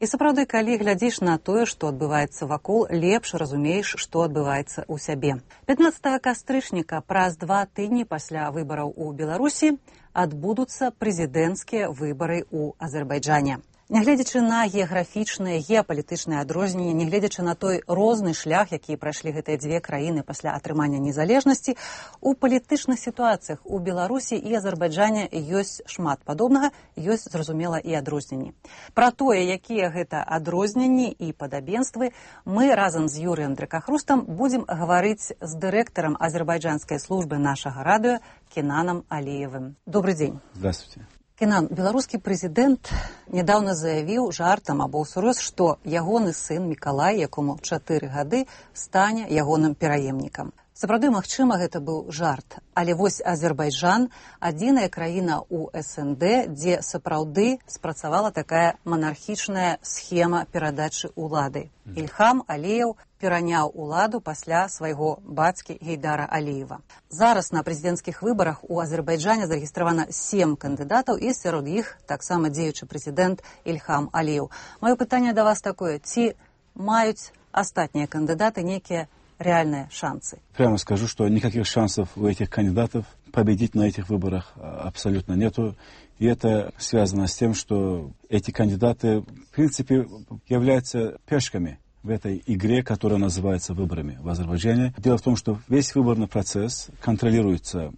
S1: І сапраўды, калі глядзіш на тое, што адбываецца вакол, лепш разумееш, што адбываецца ў сябе. пятнаццатага кастрычніка, праз два тыдні пасля выбараў у Беларусі, адбудуцца прэзідэнцкія выбары ў Азербайджане. Нягледзячы на геаграфічныя, геапалітычныя адрозненні, нягледзячы на той розны шлях, які прайшлі гэтыя дзве краіны пасля атрымання незалежнасці, у палітычных сітуацыях у Беларусі і Азербайджане ёсць шмат падобнага, ёсць, зразумела, і адрозненні. Пра тое, якія гэта адрозненні і падабенствы, мы разам з Юрыем Дракахрустам будзем гаварыць з дырэктарам азербайджанскай службы нашага радыё Кенанам Алиевым. Добрый дзень.
S8: Здравствуйте.
S1: Кенан, беларускі прэзідэнт нядаўна заявіў жартам або ўсур'ёз, што ягоны сын Мікалай, якому чатыры гады, стане ягоным пераемнікам. Сапраўды, магчыма, гэта быў жарт. Але вось Азербайджан – адзіная краіна ў эс эн дэ, дзе сапраўды спрацавала такая манархічная схема перадачы ўлады. Ільхам Аліеў пераняў уладу пасля свайго бацькі Гейдара Аліева. Зараз на прэзідэнцкіх выбарах у Азербайджане зарэгістравана сем кандыдатаў, і сярод іх таксама дзеючы прэзідэнт Ільхам Аліеў. Маё пытанне да вас такое: ці маюць астатнія кандыдаты нейкія реальные шансы?
S8: Прямо скажу, что никаких шансов у этих кандидатов победить на этих выборах абсолютно нету. И это связано с тем, что эти кандидаты, в принципе, являются пешками в этой игре, которая называется выборами в Азербайджане. Дело в том, что весь выборный процесс контролируется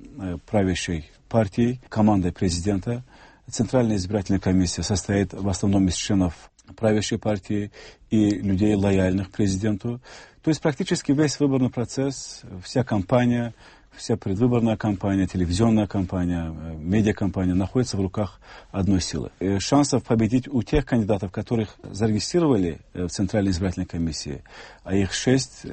S8: правящей партией, командой президента. Центральная избирательная комиссия состоит в основном из членов правящей партии и людей, лояльных президенту. То есть практически весь выборный процесс, вся кампания, вся предвыборная кампания, телевизионная кампания, медиакампания находится в руках одной силы. И шансов победить у тех кандидатов, которых зарегистрировали в Центральной избирательной комиссии, а их шесть,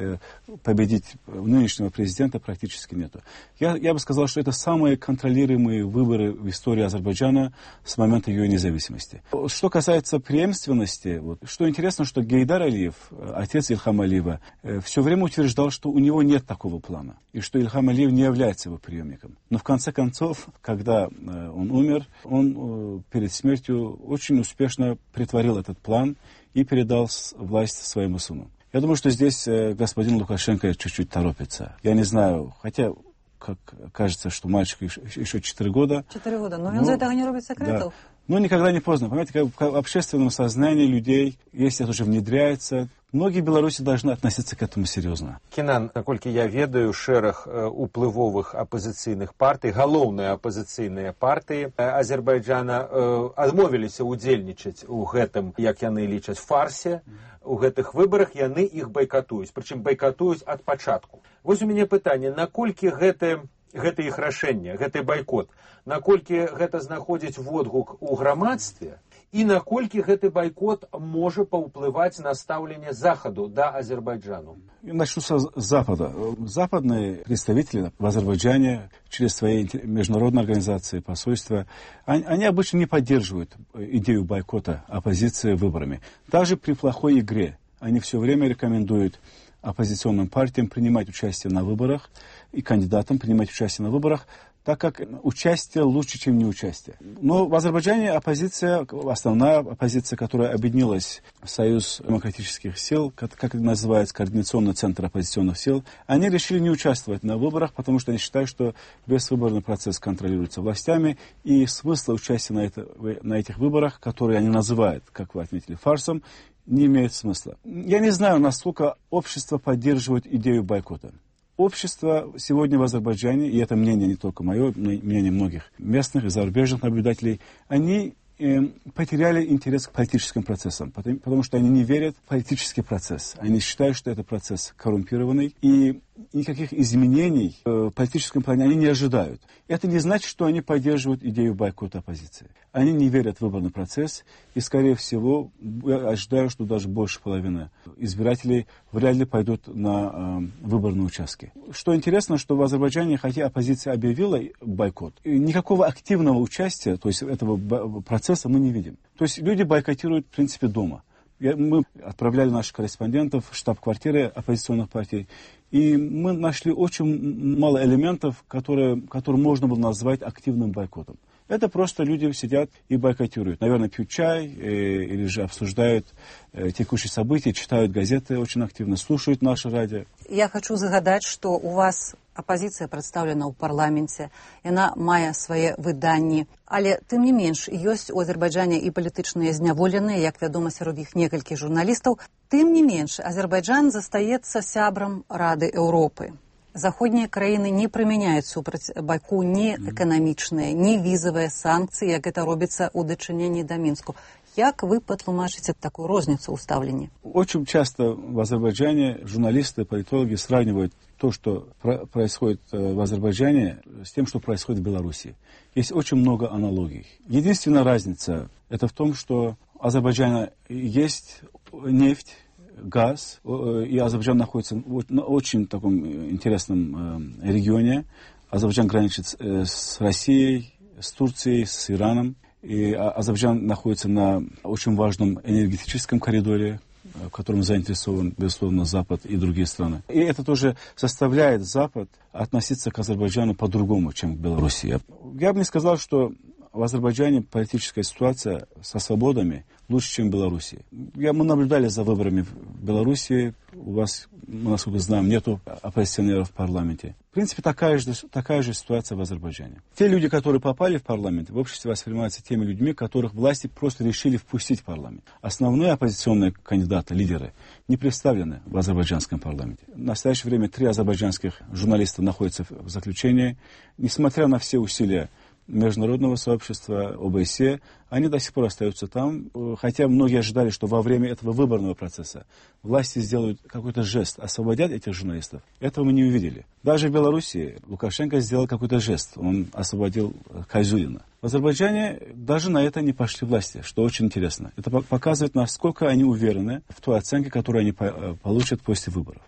S8: победить нынешнего президента практически нету. Я, я бы сказал, что это самые контролируемые выборы в истории Азербайджана с момента ее независимости. Что касается преемственности, вот, что интересно, что Гейдар Алиев, отец Ильхама Алиева, все время утверждал, что у него нет такого плана, и что Ильхам Алиев не является его преемником. Но в конце концов, когда э, он умер, он э, перед смертью очень успешно притворил этот план и передал власть своему сыну. Я думаю, что здесь э, господин Лукашенко чуть-чуть торопится. Я не знаю, хотя, как кажется, что мальчику еще четыре года.
S1: Четыре года, но, но он за этого не робит секретов.
S8: Да. Но никогда не поздно. Понимаете, как в общественном сознании людей, если это уже внедряется, многие в Беларуси должны относиться к этому серьезно.
S3: Кенан, наколькі я ведаю, шэраг уплывовых апозіцыйных партый, галоўныя апозіцыйныя партыі Азербайджана адмовіліся ўдзельнічаць у гэтым, як яны лічаць, фарсе. У гэтых выбарах яны іх байкатуюць, прычым байкатуюць ад пачатку. Вось у мяне пытанне, наколькі гэты гэта іх рашэнне, гэты байкот, наколькі гэта знаходзіць водгук у грамадстве, і наколькі гэты байкот можа паўплываць на стаўленне Захаду да Азербайджану?
S8: Начну с Запада. Западные представители в Азербайджане через свои международные организации, посольства, они, они обычно не поддерживают идею бойкота оппозиции выборами. Даже при плохой игре они все время рекомендуют оппозиционным партиям принимать участие на выборах и кандидатам принимать участие на выборах, так как участие лучше, чем неучастие. Но в Азербайджане оппозиция, основная оппозиция, которая объединилась в Союз демократических сил, как, как это называется, Координационный центр оппозиционных сил, они решили не участвовать на выборах, потому что они считают, что выборный процесс контролируется властями, и смысла участия на, это, на этих выборах, которые они называют, как вы отметили, фарсом, не имеет смысла. Я не знаю, насколько общество поддерживает идею бойкота. Общество сегодня в Азербайджане, и это мнение не только мое, мнение многих местных и зарубежных наблюдателей, они э, потеряли интерес к политическим процессам, потому, потому что они не верят в политический процесс. Они считают, что это процесс коррумпированный, и никаких изменений в политическом плане они не ожидают. Это не значит, что они поддерживают идею бойкота оппозиции. Они не верят в выборный процесс, и, скорее всего, я ожидаю, что даже больше половины избирателей вряд ли пойдут на э, выборные участки. Что интересно, что в Азербайджане, хотя оппозиция объявила бойкот, никакого активного участия, то есть этого процесса мы не видим. То есть люди бойкотируют, в принципе, дома. Мы отправляли наших корреспондентов в штаб-квартиры оппозиционных партий, и мы нашли очень мало элементов, которые, которые можно было назвать активным бойкотом. Это просто люди сидят и бойкотируют. Наверное, пьют чай э, или же обсуждают э, текущие события, читают газеты очень активно, слушают наше радио.
S1: Я хочу загадать, что у вас оппозиция представлена ў парламенце, яна мае свае выданні, але тым не менш ёсць у Азербайджане і палітычныя зняволеныя, як вядома, сярод іх некалькі журналістаў. Тым не менш, Азербайджан застаецца сябрам Рады Еўропы. Заходнія краіны не прымяняюць супраць Баку ні эканамічныя, ні візавыя санкцыі, як гэта робіцца ў дачыненні да Мінску. Як вы патлумачыце такую розніцу ў стаўленні?
S8: Очень часто в Азербайджане журналисты, политологи сравнивают то, что происходит в Азербайджане, с тем, что происходит в Беларуси. Есть очень много аналогий. Единственная разница это в том, что в Азербайджане есть нефть, газ, и Азербайджан находится в очень таком интересном регионе. Азербайджан граничит с Россией, с Турцией, с Ираном. И Азербайджан находится на очень важном энергетическом коридоре, в котором заинтересован, безусловно, Запад и другие страны. И это тоже заставляет Запад относиться к Азербайджану по-другому, чем к Беларуси. Я бы не сказал, что в Азербайджане политическая ситуация со свободами лучше, чем в Беларуси. Я, мы наблюдали за выборами в Беларуси. У вас, насколько знаем, нету оппозиционеров в парламенте. В принципе, такая же, такая же ситуация в Азербайджане. Те люди, которые попали в парламент, в обществе воспринимаются теми людьми, которых власти просто решили впустить в парламент. Основные оппозиционные кандидаты, лидеры, не представлены в азербайджанском парламенте. В настоящее время три азербайджанских журналиста находятся в заключении. Несмотря на все усилия международного сообщества, О Бэ Эс Е, они до сих пор остаются там, хотя многие ожидали, что во время этого выборного процесса власти сделают какой-то жест, освободят этих журналистов. Этого мы не увидели. Даже в Беларуси Лукашенко сделал какой-то жест, он освободил Кайзулина. В Азербайджане даже на это не пошли власти, что очень интересно. Это показывает, насколько они уверены в той оценке, которую они получат после выборов.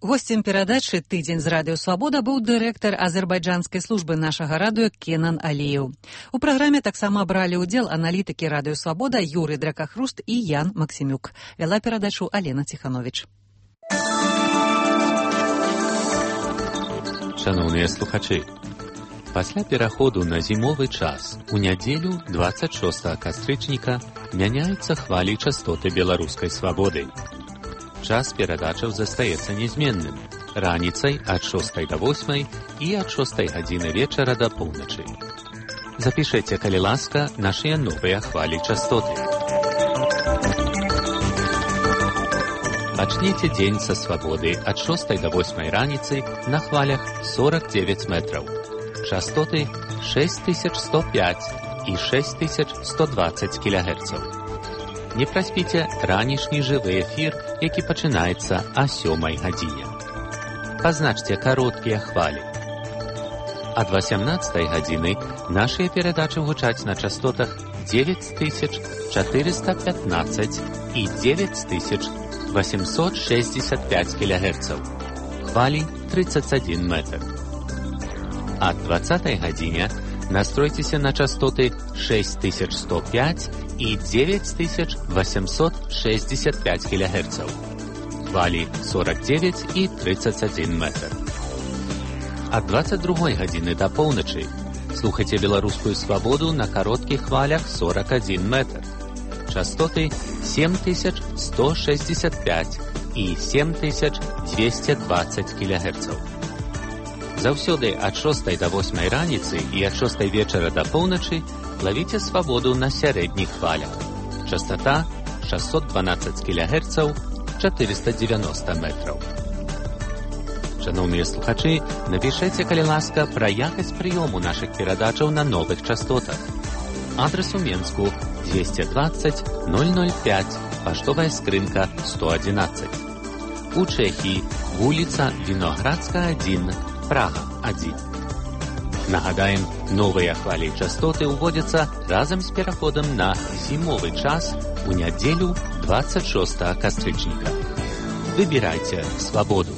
S1: Гостем перадачы «Тыдзень з Радыё Свабода» быў дырэктар азербайджанскай службы нашага радыё Кенан Аліеў. У праграме таксама бралі ўдзел аналітыкі Радыё Свабода Юрый Дракахруст і Ян Максімюк. Вяла перадачу Алена Ціхановіч.
S10: Шановныя слухачы, пасля пераходу на зімовы час у нядзелю дваццаць шостага кастрычніка мяняюцца хвалі частоты беларускай свабоды. Час перадачаў застаецца нязменным. Раніцай ад шостай да восьмай і ад шостай гадзіны вечара да поўначы. Запішайце, калі ласка, нашыя новыя хвалі частоты. Пачніце дзень са свабоды ад шостай да восьмай раніцы на хвалях сорок девять метраў. Частоты шесть тысяч сто пять і шесть тысяч сто двадцать кілогерцаў. Не праспіце ранішні жывы эфір, які пачынаецца о сёмай гадзіне. Пазначце кароткія хвалі. Ад васямнаццатай гадзіны нашыя перадачы гучаць на частотах девять тысяч четыреста пятнадцать и девять тысяч восемьсот шестьдесят пять килогерцев. Хвали тридцать один метр. Ад двадцатай гадзіне настройтеся на частоты шесть тысяч сто пять и девять тысяч восемьсот шестьдесят пять килогерцев. Хвали сорок девять и тридцать один метр. Ад двадцать другой гадзіны до поўначы слухайте беларускую свабоду на коротких хвалях сорок один метр. Частоты семь тысяч сто шестьдесят пять и семь тысяч двести двадцать килогерцев. Заўсёды ад шостай до восьмай раніцы і ад шостай вечара до поўначы ловіце свабоду на сярэдніх хвалях. Частота шестьсот двенадцать килогерцев, четыреста девяносто метров. Шановныя слухачы, напішэце, калі ласка, пра якасць прыёму нашых перадачаў на новых частотах. Адрес у Менску двести двадцать ноль ноль пять, паштовая скрынка сто одиннадцать. У Чэхіі вуліца Віноградская один, Прага один. Нагадаем, новыя хвалі частоты ўводзяцца разам з пераходам на зімовы час у нядзелю двадцать шостага кастрычніка. Выбірайце свабоду.